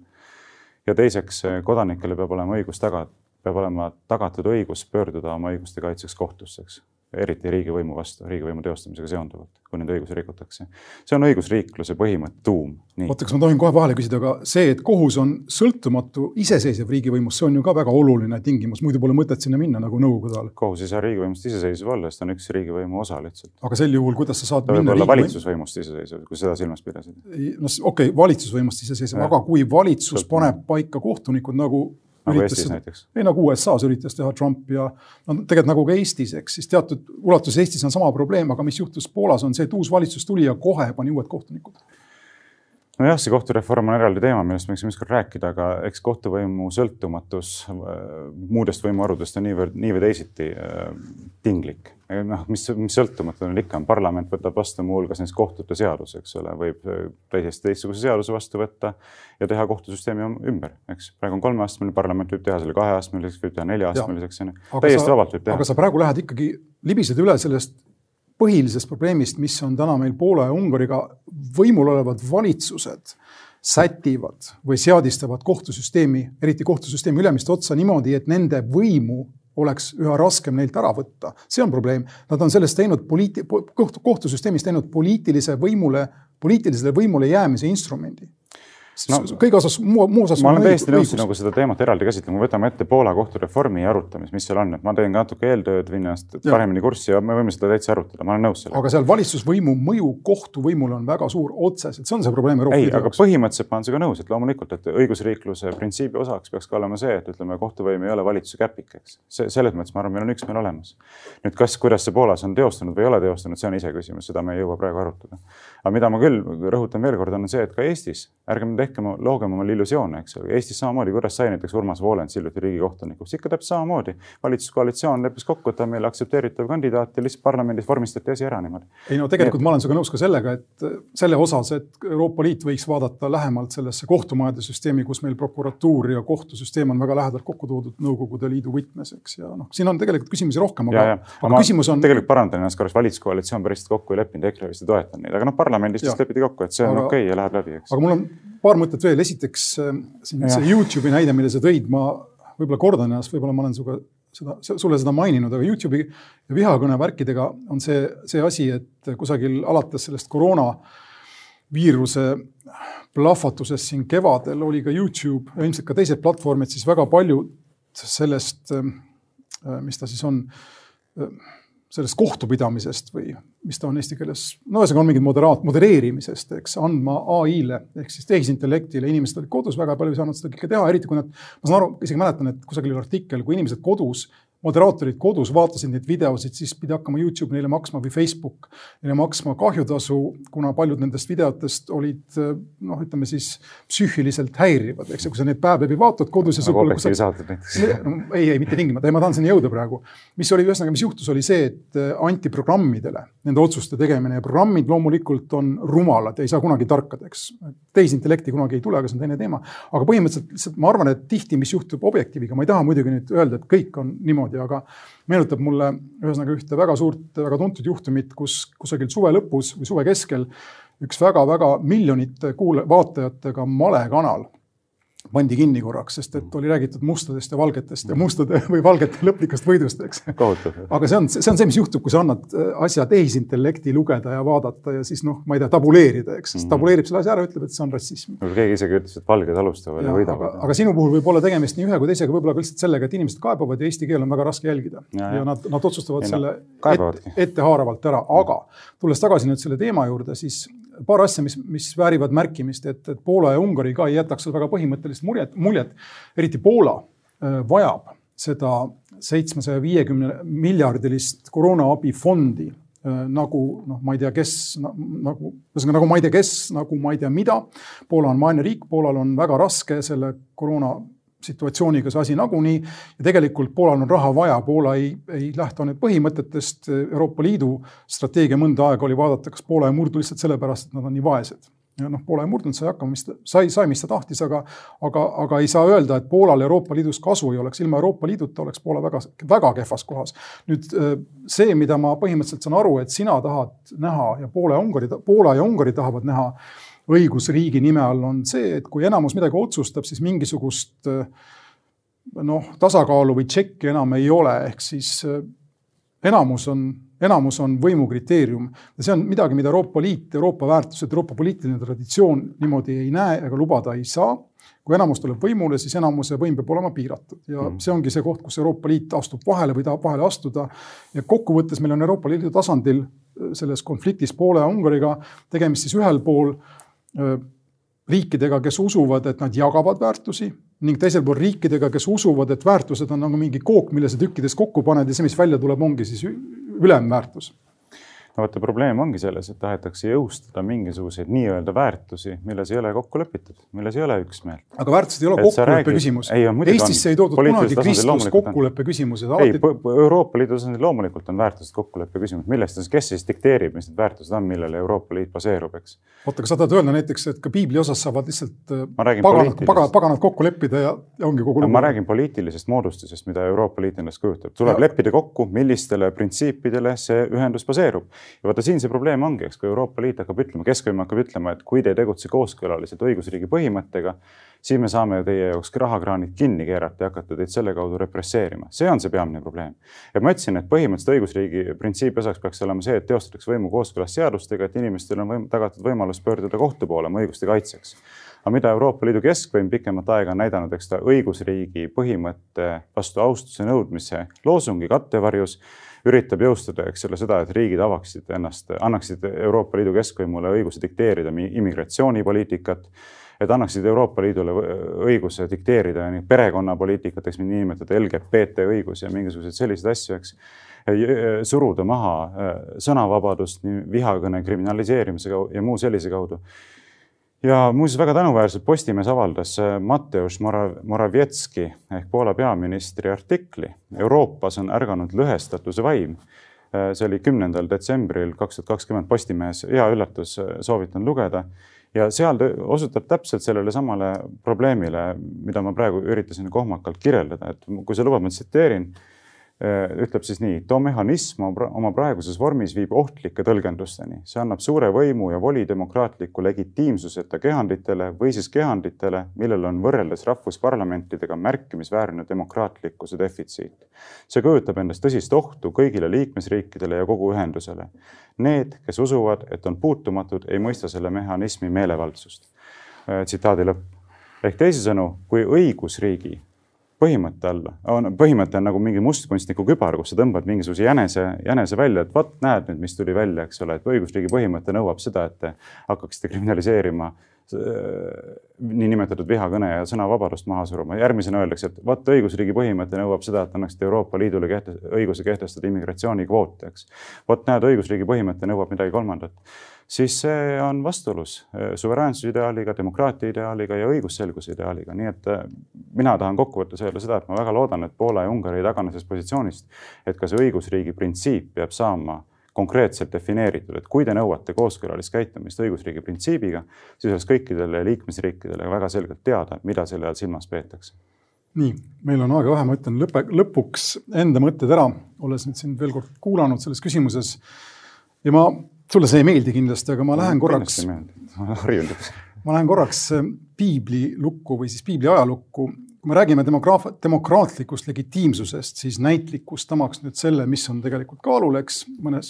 Ja teiseks, kodanikele peab olema tagatud õigus pöörduda oma õiguste kaitseks kohtusseks, eriti riigivõimu vastu, riigivõimu teostamisega seonduvalt, kui nende õigusi rikutakse. See on õigusriikluse põhimõtte tuum. Oota, kas ma tohin kohe vahele küsida, aga see, et kohus on sõltumatu iseseisev riigivõimust, see on ju ka väga oluline tingimus, muidu pole mõtet sinna minna nagu nõukogude ajal. Kohus ei saa riigivõimust iseseisev olla, sest on üks riigivõimu osa lihtsalt. Aga sel juhul, kuidas sa saad minna riigivõimu? Ta võib olla valitsusvõimust iseseisev, kui seda silmas pidasid. No, okei, valitsusvõimust iseseisev, aga kui valitsus paneb paika kohtunikud nagu Eestis näiteks. Ei, nagu USA-s üritas teha Trump ja tegelikult nagu ka Eestis, eks, siis teatud ulatus Eestis on sama probleem, aga mis juhtus Poolas on see, et uus valitsus tuli ja kohe pani uued kohtunikud. No jah, see kohtureform on eraldi teema, millest me võiksime rääkida, aga eks kohtuvõimu sõltumatus muudest võimuharudest on nii või teisiti tinglik. Mis sõltumatu on ikka, parlament võtab vastu muu hulgas näiteks kohtute seadus, eks ole, võib teistsuguse seaduse vastu võtta ja teha kohtusüsteemi ümber, eks. Praegu on 3-astmeline, parlament võib teha selle 2-astmeliseks, võib teha 4-astmeliseks. Täiesti vabalt võib teha. Aga sa praegu lähed ikkagi libised üle sellest põhilisest probleemist, mis on täna meil Poola ja Ungariga võimul olevad valitsused sätivad või seadistavad kohtusüsteemi, eriti kohtusüsteemi ülemist otsa niimoodi, et nende võimu oleks üha raskem neilt ära võtta. See on probleem. Nad on sellest teinud kohtusüsteemis teinud poliitilisele võimule jäämise instrumendi. No, kõige osas, muu osas ma olen täiesti nõus nagu seda teemat eraldi käsitlema. Võtame ette Poola kohtureformi arutamist, mis seal on. Et ma teen ka natuke eeltööd, vinnast paremini kurssi ja me võime seda täitsa arutada. Ma olen nõus sellega. Aga seal valitsusvõimu mõju kohtuvõimul on väga suur otseselt. See on see probleem Euroopa Liidu. Ei, aga põhimõtteliselt ma olen seda nõus, et loomulikult, et õigusriikluse printsiibi osaks peaks ka olema see, et ütleme, kohtuvõim ei ole valitsuse käpikeks. Selles mõttes ma arvan, meil on üksmeel olemas. Nüüd, kuidas see Poolas on teostunud või ei ole teostunud, see on ise küsimus, seda me ei jõua praegu arutada. Aga mida ma küll rõhutan veel kord on see, et ka Eestis ärgem loogem omal illusioone, eks ole. Eestis samamoodi, kuidas sai näiteks Urmas Voolens hiljuti riigikohtunikuks. Ikka täpselt samamoodi. Valitsuskoalitsioon leppis kokku, et on meil aktsepteeritav kandidaat ja lihtsalt parlamendis vormistati asi ära niimoodi. Ei no tegelikult ma olen sinuga nõus ka sellega, et selle osas, et Euroopa Liit võiks vaadata lähemalt sellesse kohtumajade süsteemi, kus meil prokuratuur ja kohtusüsteem on väga lähedalt kokku toodud Nõukogude Liidu võtmeseks. Ja siin on tegelikult küsimusi rohkem, aga küsimus on... Tegelikult parandan ennast korras, valitsuskoalitsioon päriselt kokku ei leppinud, EKRE vist ei toetan neid, aga parlamendis lepiti kokku, et see on okei ja läheb läbi. Eks. Aga mul on paar mõtet veel. Esiteks see YouTube'i näide, mille sa tõid, ma võib-olla kordan ennast, võib-olla ma olen sulle seda maininud, aga YouTube'i ja vihakõne värkidega on see asi, et kusagil alates sellest koroonaviiruse plahvatusest siin kevadel oli ka YouTube ja ilmselt ka teised platvormid siis väga palju sellest, mis ta siis on, sellest kohtupidamisest või mis ta on eesti keeles, no ühesõnaga on mingid modereerimisest, eks, andma AI-le ehk siis tehisintellektile. Inimesed olid kodus, väga palju saanud seda kõike teha, eriti kui nad, ma saan aru, isegi mäletan, et kusagil artikkel, kui inimesed kodus, moderaatorid kodus vaatasid neid videosid, siis pidi hakkama YouTube neile maksma või Facebook neile maksma kahjutasu, kuna paljud nendest videotest olid, noh, ütleme siis psüühiliselt häirivad, eks, kui sa neid päev läbi vaatad kodus ja ei, mitte tingimata, ma tahan sinna jõuda praegu. Mis juhtus, oli see, et anti programmidele nende otsuste tegemine ja programmid loomulikult on rumalad ja ei saa kunagi tarkadeks. Tehisintellekti kunagi ei tule, aga see on teine teema. Aga põhimõtteliselt ma arvan, et tihti, mis juhtub Objektiiviga, ma ei taha muidugi nüüd öelda, et kõik on niimoodi, aga meenutab mulle ühesõnaga ühte väga suurt, väga tuntud juhtumit, kus kusagil suve lõpus või suve keskel üks väga-väga miljonite vaatajatega malekanal pandi kinni korraks, sest et oli räägitud mustadest ja valgetest ja mustade või valgete lõplikast võidust, eks. Aga see on see, mis juhtub, kui sa annad asja tehisintellekti lugeda ja vaadata ja siis noh, ma ei tea, tabuleerida, eks. Tabuleerib selle asja ära, ütleb, et see on rassism. Keegi isegi ütles, et valged alustavad ja võidavad. Aga sinu puhul võib olla tegemist nii ühe kui teisega, võib-olla ka lihtsalt sellega, et inimesed kaebavad ja eesti keel on väga raske jälgida. Ja nad otsustavad selle ettehaaravalt ära. Aga tulles tagasi nüüd selle teema juurde, siis paar asja, mis väärivad märkimist, et Poola ja Ungari ka ei jätaks väga põhimõttelist muljet. Eriti Poola vajab seda 750 miljardilist koroonaabifondi nagu, noh, ma ei tea, kes, nagu ma ei tea, kes, nagu ma ei tea mida. Poola on vaene riik, Poolal on väga raske selle koroona situatsiooniga see asi nagunii ja tegelikult Poolal on raha vaja. Poola ei lähtu need põhimõtetest. Euroopa Liidu strateegia mõnda aega oli vaadata, kas Poola ei murdu lihtsalt sellepärast, et nad on nii vaesed. Ja Poola ei murdunud, sai, mis ta tahtis, aga ei saa öelda, et Poolal Euroopa Liidus kasu ei oleks. Ilma Euroopa Liiduta oleks Poola väga kehvas kohas. Nüüd see, mida ma põhimõtteliselt saan aru, et sina tahad näha ja Poola ja Ungari tahavad näha õigusriigi nime all on see, et kui enamus midagi otsustab, siis mingisugust tasakaalu või tšekki enam ei ole. Ehk siis enamus on võimu kriteerium. Ja see on midagi, mida Euroopa Liit, Euroopa väärtused, Euroopa poliitiline traditsioon niimoodi ei näe ega lubada ei saa. Kui enamus tuleb võimule, siis enamuse võim peab olema piiratud. Ja see ongi see koht, kus Euroopa Liit astub vahele või tahab vahele astuda. Ja kokkuvõttes meil on Euroopa Liidu tasandil selles konfliktis Poola ja Ungariga tegemist siis ühel pool riikidega, kes usuvad, et nad jagavad väärtusi ning teisel pool riikidega, kes usuvad, et väärtused on nagu mingi kook, mille sa tükkides kokku paned ja see, mis välja tuleb, ongi siis ülemväärtus. No vaata, probleem ongi selles, et tahetakse jõustada mingisuguseid nii-öelda väärtusi, milles ei ole kokku lepitud, milles ei ole üksmeelt. Aga väärtused ei ole kokkuleppe küsimus. Eestisse ei toodud kunagi Kristus kokkuleppe küsimus. Euroopa Liidu tasandil loomulikult on väärtused kokkuleppe küsimus. Millest kes siis dikteerib, mis need väärtused on, millele Euroopa Liit baseerub, eks? Oota, kas sa tahad öelda näiteks, et ka piibli osas saavad lihtsalt paganad kokku leppida ja ongi kogu lugu? Ma räägin poliitilisest moodustusest, mida Euroopa Liit ennast kujutab. Tuleb leppida kokku, millistele printsiipidele see ühendus baseerub. Ja vaata, siin see probleem ongi, eks, kui Euroopa Liit hakkab ütlema, keskvõim hakkab ütlema, et kui te ei tegutse kooskõlaliselt õigusriigi põhimõttega, siis me saame teie jaoks rahakraanid kinni keerata ja hakata teid selle kaudu represseerima. See on see peamine probleem. Ja ma ütlesin, et põhimõtteliselt õigusriigi printsiibi osaks peaks olema see, et teostatakse võimu kooskõlas seadustega, et inimestel on tagatud võimalus pöörduda kohtu poole oma õiguste kaitseks. Aga mida Euroopa Liidu keskvõim pikemat aega on näidanud, eks ta õigusriigi põhimõtte vastu austuse nõudmise loosungi kattevarjus üritab jõustada, eks selle seda, et riigid annaksid Euroopa Liidu keskvõimule õiguse dikteerida immigratsioonipoliitikat, et annaksid Euroopa Liidule õiguse dikteerida perekonnapoliitikat, eks nimetada LGBT õigus ja mingisuguseid selliseid asju, eks, suruda maha sõnavabadust, vihakõne kriminaliseerimise ja muu sellise kaudu. Ja muuseas väga tänuväärselt Postimees avaldas Mateusz Morawiecki ehk Poola peaministri artikli Euroopas on ärganud lõhestatuse vaim. See oli 10. detsembril 2020 Postimees, hea üllatus, soovitan lugeda. Ja seal osutab täpselt sellele samale probleemile, mida ma praegu üritasin kohmakalt kirjeldada. Et kui sa lubad, ma tsiteerin, ütleb siis nii, too mehhanism oma praeguses vormis viib ohtlike tõlgendusteni. See annab suure võimu ja voli demokraatliku legitiimsuseta kehanditele või siis kehanditele, millel on võrreldes rahvusparlamentidega märkimisväärne demokraatlikkuse defitsiit. See kujutab endast tõsist ohtu kõigile liikmesriikidele ja kogu ühendusele. Need, kes usuvad, et on puutumatud, ei mõista selle mehhanismi meelevaldsust. Tsitaadi lõpp. Ehk teisisõnu, kui õigusriigi põhimõte on nagu mingi mustkunstniku kübar, kus sa tõmbad mingisuguse jänese välja, et vaat näed nüüd, mis tuli välja, eks ole, et õigusriigi põhimõte nõuab seda, et te hakkaksite kriminaliseerima niinimetatud vihakõne ja sõnavabadust maha suruma. Järgmisena öeldakse, et vaat õigusriigi põhimõte nõuab seda, et annaksite Euroopa Liidule õiguse kehtestada immigratsioonikvoote, eks. Vaat näed, õigusriigi põhimõte nõuab midagi kolmandat. Siis see on vastuolus suveräänsuse ideaaliga, demokraatia ideaaliga ja õigusselguse ideaaliga. Nii et mina tahan kokkuvõttes öelda seda, et ma väga loodan, et Poola ja Ungari ei tagane sellest positsioonist, et ka see õigusriigi printsiip peab saama konkreetselt defineeritud, et kui te nõuate kooskõlalist käitumist õigusriigi printsiibiga, siis oleks kõikidele liikmesriikidele väga selgelt teada, mida selle all silmas peetakse. Nii, meil on aega vähe, ma ütlen lõpuks enda mõtted ära, olles nüüd siin veel kord kuulanud selles küsimuses ja sulle see ei meeldi kindlasti, aga ma lähen korraks piibli lukku või siis piibli ajalukku. Kui me räägime demokraatlikust legitiimsusest, siis näitlikust tamaks nüüd selle, mis on tegelikult kaalul, eks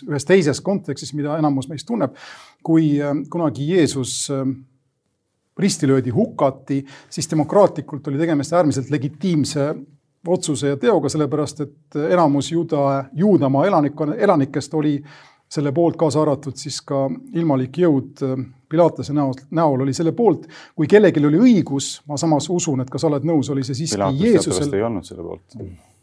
ühes teises kontekstis, mida enamus meist tunneb, kui kunagi Jeesus ristilöödi hukati, siis demokraatlikult oli tegemist äärmiselt legitiimse otsuse ja teoga, sellepärast et enamus Juudamaa elanikest oli selle poolt kaasa arvatud siis ka ilmalik jõud Pilatase näol oli selle poolt. Kui kellelgi oli õigus, ma samas usun, et kas oled nõus, oli see siiski Jeesusel. Pilatus ei olnud selle poolt.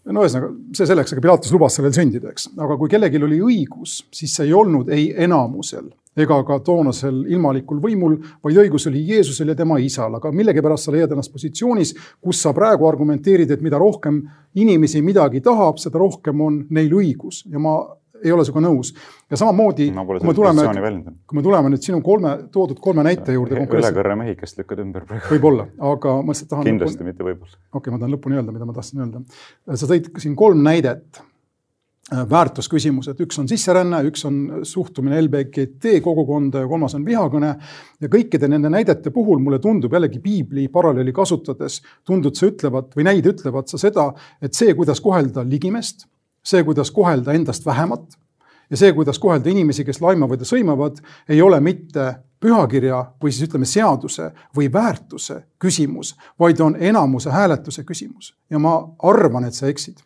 No ühesõnaga, see selleks, aga Pilatus lubas sellel sündida, eks. Aga kui kellelgi oli õigus, siis see ei olnud ei enamusel ega ka toonasel ilmalikul võimul, vaid õigus oli Jeesusel ja tema isal. Aga millegipärast sa leiad ennast positsioonis, kus sa praegu argumenteerid, et mida rohkem inimesi midagi tahab, seda rohkem on neil õigus. Ja ma ei ole sinuga nõus. Ja samamoodi, kui me tuleme nüüd sinu toodud kolme näite juurde. Ülekõrre mehikest lükkad ümber praegu. Võib-olla, aga ma tahan... Kindlasti mitte võib-olla. Okei, ma tahan lõpuni öelda, mida ma tahtsin öelda. Sa tõid siin 3 näidet väärtusküsimused. Üks on sisseränne, üks on suhtumine LBGT kogukonda ja 3 on vihakõne. Ja kõikide nende näidete puhul mulle tundub jällegi piibli paralleeli kasutades, või näid ütlevad sa seda, et see, kuidas kohelda ligimest, see, kuidas kohelda endast vähemat ja see, kuidas kohelda inimesi, kes laimavad ja sõimavad, ei ole mitte pühakirja või siis ütleme seaduse või väärtuse küsimus, vaid on enamuse hääletuse küsimus. Ja ma arvan, et sa eksid.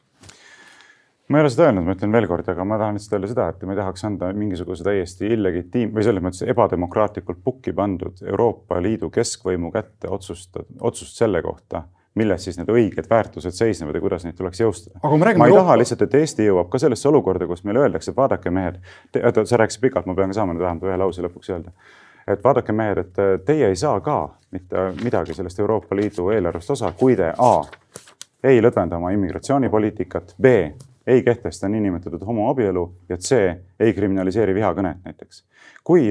Ma ei ole seda öelnud, ma ütlen veel kord, aga ma tahan lihtsalt öelda seda, et ma ei tahaks anda mingisuguse täiesti illegitiim või selles mõttes ebademokraatlikult pukki pandud Euroopa Liidu keskvõimu kätte otsust selle kohta, milles siis need õiged väärtused seisnevad ja kuidas neid tuleks jõustada. Ma ei taha lihtsalt, et Eesti jõuab ka sellesse olukorda, kus meile öeldakse, et vaadake mehed, sa rääkisid pikalt, ma pean ka saama nüüd vähemalt ühe lause lõpuks öelda, et vaadake mehed, et teie ei saa ka mitte midagi sellest Euroopa Liidu eelarvest osa, kui te A, ei lõdvenda oma immigratsioonipoliitikat, B, ei kehtesta niinimetatud homoabielu ja C, ei kriminaliseeri vihakõnet näiteks. Kui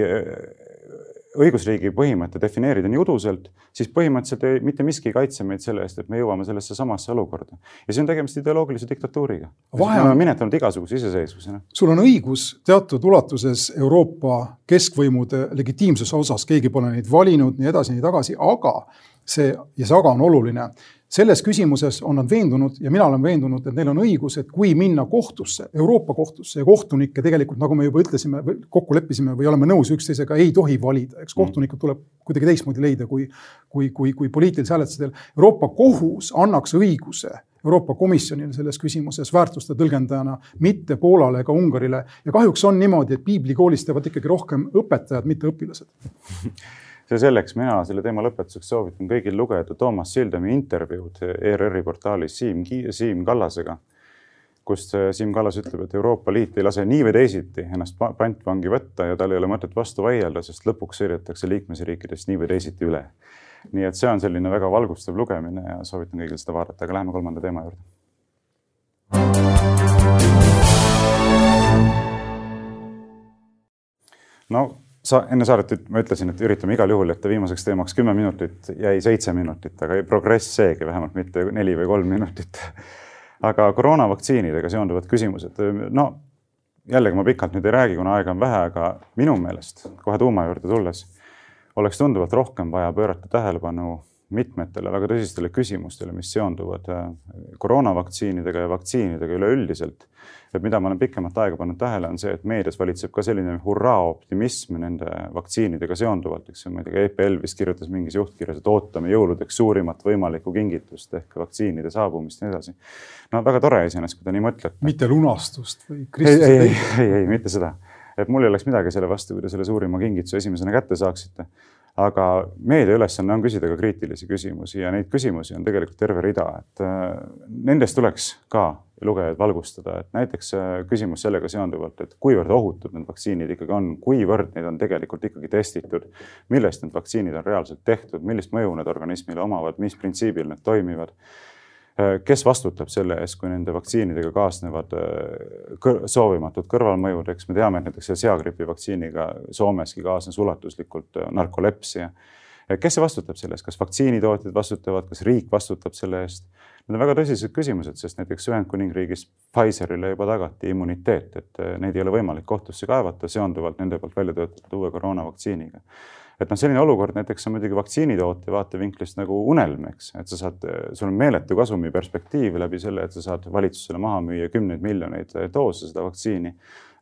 õigusriigi põhimõtte defineerida nii uduselt, siis põhimõtteliselt mitte miski ei kaitse meid selle eest, et me jõuame sellesse samasse olukorda. Ja see on tegemist ideoloogilise diktatuuriga. Me oleme minetanud igasuguse iseseisvusena. Sul on õigus teatud ulatuses Euroopa keskvõimude legitiimsuse osas, keegi pole neid valinud, nii edasi, nii tagasi, aga see on oluline. Selles küsimuses on nad veendunud ja mina olen veendunud, et neil on õigus, et kui minna kohtusse, Euroopa kohtusse ja kohtunikke tegelikult, nagu me juba ütlesime, kokku leppisime või oleme nõus üksteisega, ei tohi valida. Eks kohtunikud tuleb kuidagi teistmoodi leida kui poliitilise hääletusel. Euroopa kohus annaks õiguse Euroopa Komisjonile selles küsimuses väärtuste tõlgendajana, mitte Poolale ega Ungarile. Ja kahjuks on niimoodi, et piiblikoolis teevad ikkagi rohkem õpetajad, mitte õpilased. See selleks mina selle teema lõpetuseks soovitan kõigil lugeda Toomas Sildami intervjuud ERR-i portaalis Siim Kallasega, kus Siim Kallas ütleb, et Euroopa Liit ei lase nii või teisiti ennast pantvangi võtta ja tal ei ole mõtet vastu vaielda, sest lõpuks sõidetakse liikmesriikidest nii või teisiti üle. Nii et see on selline väga valgustav lugemine ja soovitan kõigil seda vaadata, aga läheme 3. teema juurde. No, enne saadet ma ütlesin, et üritame igal juhul, et viimaseks teemaks 10 minutit jäi 7 minutit, aga progress seegi vähemalt mitte 4 või 3 minutit. Aga koroonavaktsiinidega seonduvad küsimused. No, jällegi ma pikalt nüüd ei räägi, kuna aega on vähe, aga minu meelest kohe tuuma juurde tulles oleks tunduvalt rohkem vaja pöörata tähelepanu mitmetele väga tõsistele küsimustele, mis seonduvad koroonavaktsiinidega ja vaktsiinidega üleüldiselt. Et mida ma olen pikemat aega pannud tähele, on see, et meedias valitseb ka selline hurraa optimism nende vaktsiinidega seonduvalt. Ma ei tea, EPL vist kirjutas mingis juhtkirjas, et ootame jõuludeks suurimat võimalikku kingitust ehk vaktsiinide saabumist ja nii edasi. No väga tore iseenesest, kui ta nii mõtleb. Mitte lunastust või Kristuse ei, mitte seda. Et mul ei oleks midagi selle vastu, kui te selle suurima kingituse esimesena kätte saaksite. Aga meedia ülesanne on küsida ka kriitilisi küsimusi ja neid küsimusi on tegelikult terve rida, et nendest tuleks ka lugejaid valgustada, et näiteks küsimus sellega seonduvalt, et kuivõrd ohutud need vaktsiinid ikkagi on, kuivõrd neid on tegelikult ikkagi testitud, millest need vaktsiinid on reaalselt tehtud, millist mõju need organismile omavad, mis printsiibil need toimivad, kes vastutab selle eest, kui nende vaktsiinidega kaasnevad soovimatud kõrvalmõjud, eks me teame, et näiteks seagripi vaktsiiniga Soomeski kaasnes ulatuslikult narkolepsia. Kes see vastutab selle eest? Kas vaktsiinitootjad vastutavad, kas riik vastutab selle eest? Need on väga tõsised küsimused, sest näiteks Ühendkuningriigis Pfizerile juba tagati immuniteet, et neid ei ole võimalik kohtusse kaevata seonduvalt nende poolt välja töötatud uue koroonavaktsiiniga. Et selline olukord näiteks on muidugi vaktsiinitootja vaatevinklist nagu unelm, eks, et sul on meeletu kasumi perspektiiv läbi selle, et sa saad valitsusele maha müüa 10 miljoneid doose seda vaktsiini,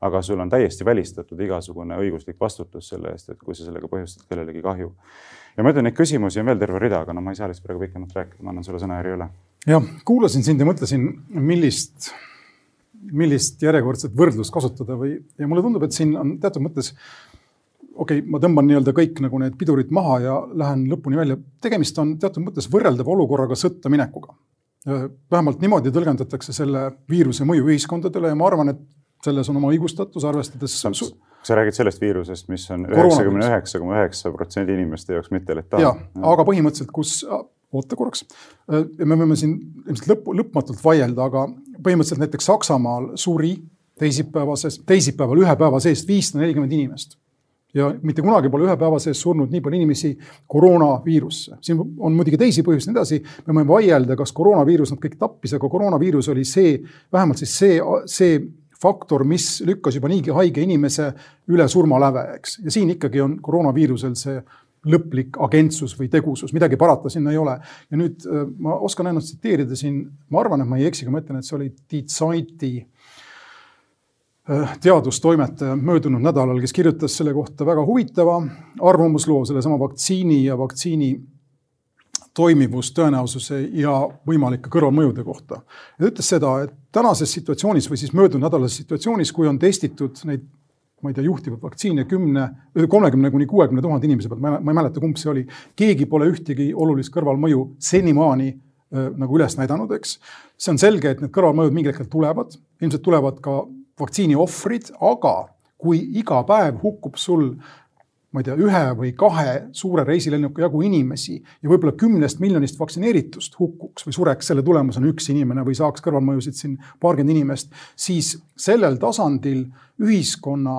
aga sul on täiesti välistatud igasugune õiguslik vastutus selle eest, et kui sa sellega põhjustad kellelegi kahju. Ja ma ütlen, neid küsimusi on veel terve rida, aga ma ei saa lihtsalt praegu pikemalt rääkida, ma annan sulle sõnajärje üle. Ja, kuulasin sind ja mõtlesin, millist järjekordset võrdlust kasutada ja mulle tundub, et siin on teatud mõttes ma tõmban nii-öelda kõik nagu need pidurid maha ja lähen lõpuni välja. Tegemist on teatud mõttes võrreldava olukorraga sõtta minekuga. Vähemalt niimoodi tõlgendatakse selle viiruse mõju ühiskondadele ja ma arvan, et selles on oma õigustatus, arvestades Kas sa räägid sellest viirusest, mis on 99,9% inimeste jaoks mitte letaalne? Aga põhimõtteliselt, oota korraks, me võime siin lõpmatult vaielda, aga põhimõtteliselt näiteks Saksamaal suri teisipäeval ühe päeva seest 540 inimest. Ja mitte kunagi pole ühe päeva sees surnud nii palju inimesi koroonaviirusse. Siin on muidugi teisi põhjusi nii edasi. Me võime vaielda, kas koroonaviirus nad kõik tappis, aga koroonaviirus oli vähemalt see faktor, mis lükkas juba niigi haige inimese üle surmaläve, eks. Ja siin ikkagi on koroonaviirusel see lõplik agentsus või tegusus, midagi parata sinna ei ole. Ja nüüd ma oskan ainult tsiteerida siin, ma arvan, et ma ei eksi, kui ma ütlen, et see oli Die Zeiti teadustoimetaja möödunud nädalal, kes kirjutas selle kohta väga huvitava arvamusloo selle sama vaktsiini ja vaktsiini toimivus, tõenäosuse ja võimalike kõrvalmõjude kohta. Ja ütles seda, et tänases situatsioonis või siis möödunud nädalases situatsioonis, kui on testitud neid, ma ei tea, juhtivad vaktsiine 30–60 000 inimese pealt, ma ei mäleta, kumb see oli, keegi pole ühtegi olulist kõrvalmõju senimaani nagu üles näidanud, eks. See on selge, et need kõrvalmõjud mingil hetkel tulevad, ilmselt tulevad ka vaktsiini ohvrid, aga kui iga päev hukkub sul, ma ei tea, 1 või 2 suure reisilennuka jagu inimesi ja võib-olla 10 miljonist vaktsineeritust hukkuks või sureks selle tulemusena üks inimene või saaks kõrvalmõjusid siin paarkümmend inimest, siis sellel tasandil ühiskonna,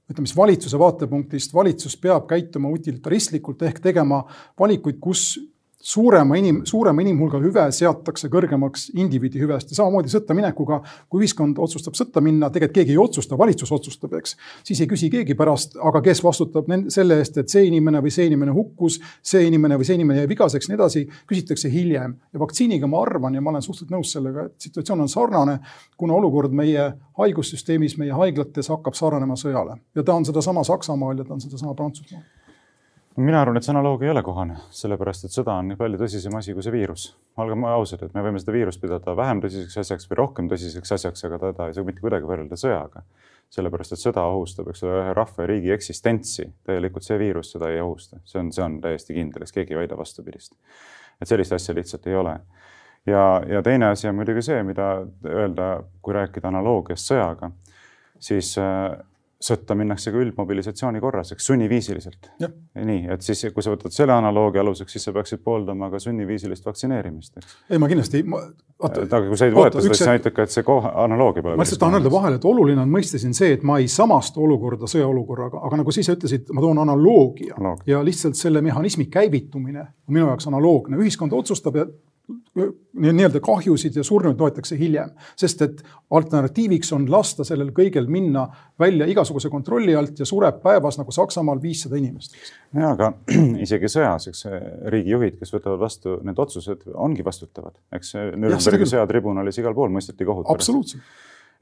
ütleme, valitsuse vaatepunktist valitsus peab käituma utilitaristlikult ehk tegema valikuid, kus suurema inimhulga hüve seatakse kõrgemaks indiviidi hüvest. Ja samamoodi sõtta minekuga, kui ühiskond otsustab sõtta minna, tegelikult keegi ei otsusta, valitsus otsustab, eks. Siis ei küsi keegi pärast, aga kes vastutab selle eest, et see inimene või see inimene hukkus, see inimene või see inimene jäi vigaseks, nii edasi, küsitakse hiljem. Ja vaktsiiniga ma arvan ja ma olen suhteliselt nõus sellega, et situatsioon on sarnane, kuna olukord meie haigussüsteemis, meie haiglates hakkab sarnanema sõjale. Ja ta on seda sama Saksamaal ja ta on seda sama Prantsusmaal. Mina arvan, et see analoogia ei ole kohane, sellepärast, et sõda on nii palju tõsisem asi kui see viirus. Olgem ausad, et me võime seda viirust pidada vähem tõsiseks asjaks või rohkem tõsiseks asjaks, aga teda ei saa mitte kuidagi võrrelda sõjaga. Sellepärast, et sõda ohustab, eks ole, ühe rahva ja riigi eksistentsi. Täielikult see viirus seda ei ohusta. See on täiesti kindel, kes keegi ei väida vastupidist. Et sellist asja lihtsalt ei ole. Ja teine asi on muidugi see, mida öelda, kui rääkida analoogiast sõjaga, siis sõtta minnakse ka üldmobilisatsiooni korras, eks sunniviisiliselt. Nii, et siis, kui sa võtad selle analoogia aluseks, siis sa peaksid pooldama ka sunniviisilist vaktsineerimist. Eks? Ei, ma kindlasti... Aga kui sa ei võeta seda, siis sa näitab ka, et see analoogia pole... Ma lihtsalt tahan öelda vahele, et oluline on mõista siin see, et ma ei samast olukorda sõjaolukorraga, aga nagu siis ütlesid, ma toon analoogia ja lihtsalt selle mehhanismi käivitumine on minu jaoks analoogne. Ühiskond otsustab ja nii-öelda kahjusid ja surnud toetakse hiljem, sest et alternatiiviks on lasta sellel kõigel minna välja igasuguse kontrolli alt ja sureb päevas nagu Saksamaal 500 inimest. Ja, aga isegi sõjas, eks riigijuhid, kes võtavad vastu need otsused, ongi vastutavad. Eks Nürnbergi sõjatribunalis igal pool mõisteti kohut. Absoluutselt.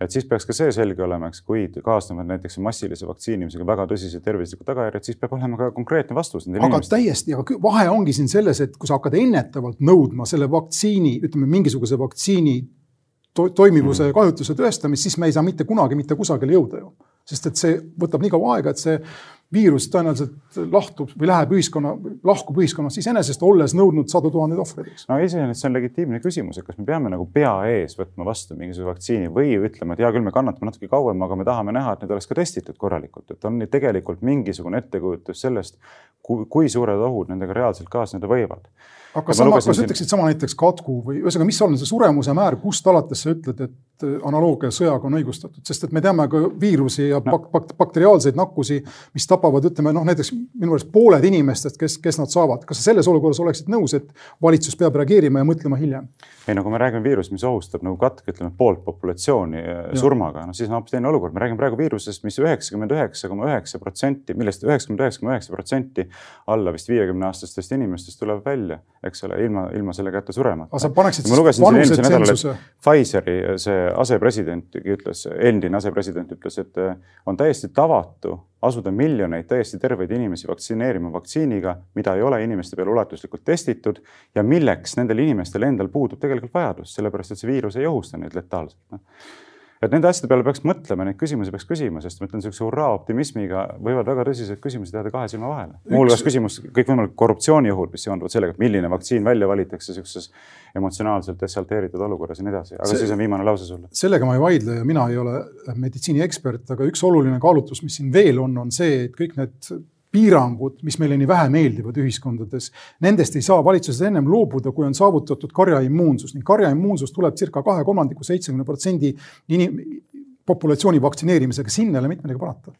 Et siis peaks ka see selge olema, eks, kui kaasnevad näiteks massilise vaktsiinimisega väga tõsised tervislikud tagajärjed, siis peab olema ka konkreetne vastus. Aga täiesti, aga vahe ongi siin selles, et kui sa hakkad ennetavalt nõudma selle vaktsiini, ütleme mingisuguse vaktsiini toimivuse ja kahjutuse tõestamist, siis me ei saa mitte kunagi mitte kusagile jõuda ju. Sest et see võtab nii kaua aega, et see viirus tõenäoliselt lahtub või lahkub ühiskonnast siis enesest, olles nõudnud 100 000 ohvreid. No iseenesest see on legitiimne küsimus, et kas me peame nagu pea ees võtma vastu mingisuguse vaktsiini või ütlema, et hea küll, me kannatame natuke kauem, aga me tahame näha, et need oleks ka testitud korralikult. Et on tegelikult mingisugune ettekujutus sellest, kui suured ohud nendega reaalselt kaasneda võivad. Aga kas ütleksid sama näiteks katku või ühesõnaga, mis on see suremuse määr, kust alates sa ütled, et analoogia sõjaga on õigustatud? Sest et me teame ka viirusi ja bakteriaalseid nakkusi, mis tapavad, ütleme, näiteks minu arust pooled inimestest, kes nad saavad. Kas sa selles olukorras oleksid nõus, et valitsus peab reageerima ja mõtlema hiljem? Ei, kui me räägime viirus, mis ohustab nagu katk, ütleme, poolt populatsiooni surmaga, siis on hoopis teine olukord. Me räägime praegu viirusest, mis 99,9%, millest 99,9% alla vist 50-aastastest inimestest tuleb välja, eks ole, ilma selle kätte suremata. Aga sa paneksid vanuse tsensuse? Pfizeri see endine asepresident ütles, et on täiesti tavatu asuda miljoneid täiesti terveid inimesi vaktsineerima vaktsiiniga, mida ei ole inimeste peal ulatuslikult testitud ja milleks nendel inimestel endal puudub tegelikult vajadus, sellepärast et see viirus ei ohusta neid letaalselt. Et nende asjade peale peaks mõtlema, neid küsimusi peaks küsima, sest ma ütlen, sellise hurraa optimismiga võivad väga tõsiseid küsimusi teada 2 silma vahele. Muulgas küsimus kõikvõimalik korruptsiooni juhul, mis seonduvad sellega, et milline vaktsiin välja valitakse sellises emotsionaalselt desalteeritud olukorras ja nii edasi. Aga siis on viimane lause sulle. Sellega ma ei vaidle ja mina ei ole meditsiiniekspert, aga üks oluline kaalutlus, mis siin veel on see, et kõik need piirangud, mis meile nii vähe meeldivad ühiskondades, nendest ei saa valitsused ennem loobuda, kui on saavutatud karjaimmuunsus. Ning karjaimmuunsus tuleb circa 2/3 70% populatsiooni vaktsineerimisega, sinna ei ole mitte midagi parata.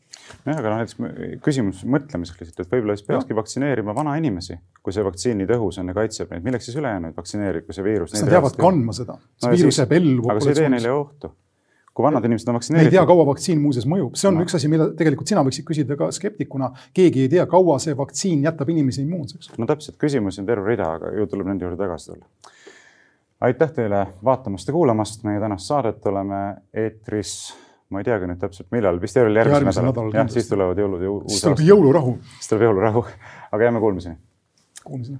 Aga näiteks küsimus mõtlemiseks lihtsalt, et võib-olla siis peakski vaktsineerima vana inimesi, kui see vaktsiini tõhus on ja kaitseb neid. Milleks siis ülejäänuid vaktsineerib, kui see viirus... Nad jäävad kandma seda. See viirus jääb ellu. Aga see ei tee neile ohtu. Kui vanad inimesed on vaktsineeritud. Me ei tea, kaua vaktsiin muuses mõjub. See on üks asi, mille tegelikult sina võiksid küsida ka skeptikuna. Keegi ei tea, kaua see vaktsiin jätab inimesi immuunseks. No täpselt, küsimusi on terve rida, aga ju tuleb nende juurde tagasi tulla. Aitäh teile vaatamast ja kuulamast. Meie tänast saadet oleme eetris, ma ei teagi nüüd täpselt millal, vist järgmise nädal. Jah, siis tulevad jõulud ja uus aasta. Siis tuleb jõulurahu. Siis tuleb jõulurahu, aga jääme kuulmiseni. Kuulmiseni.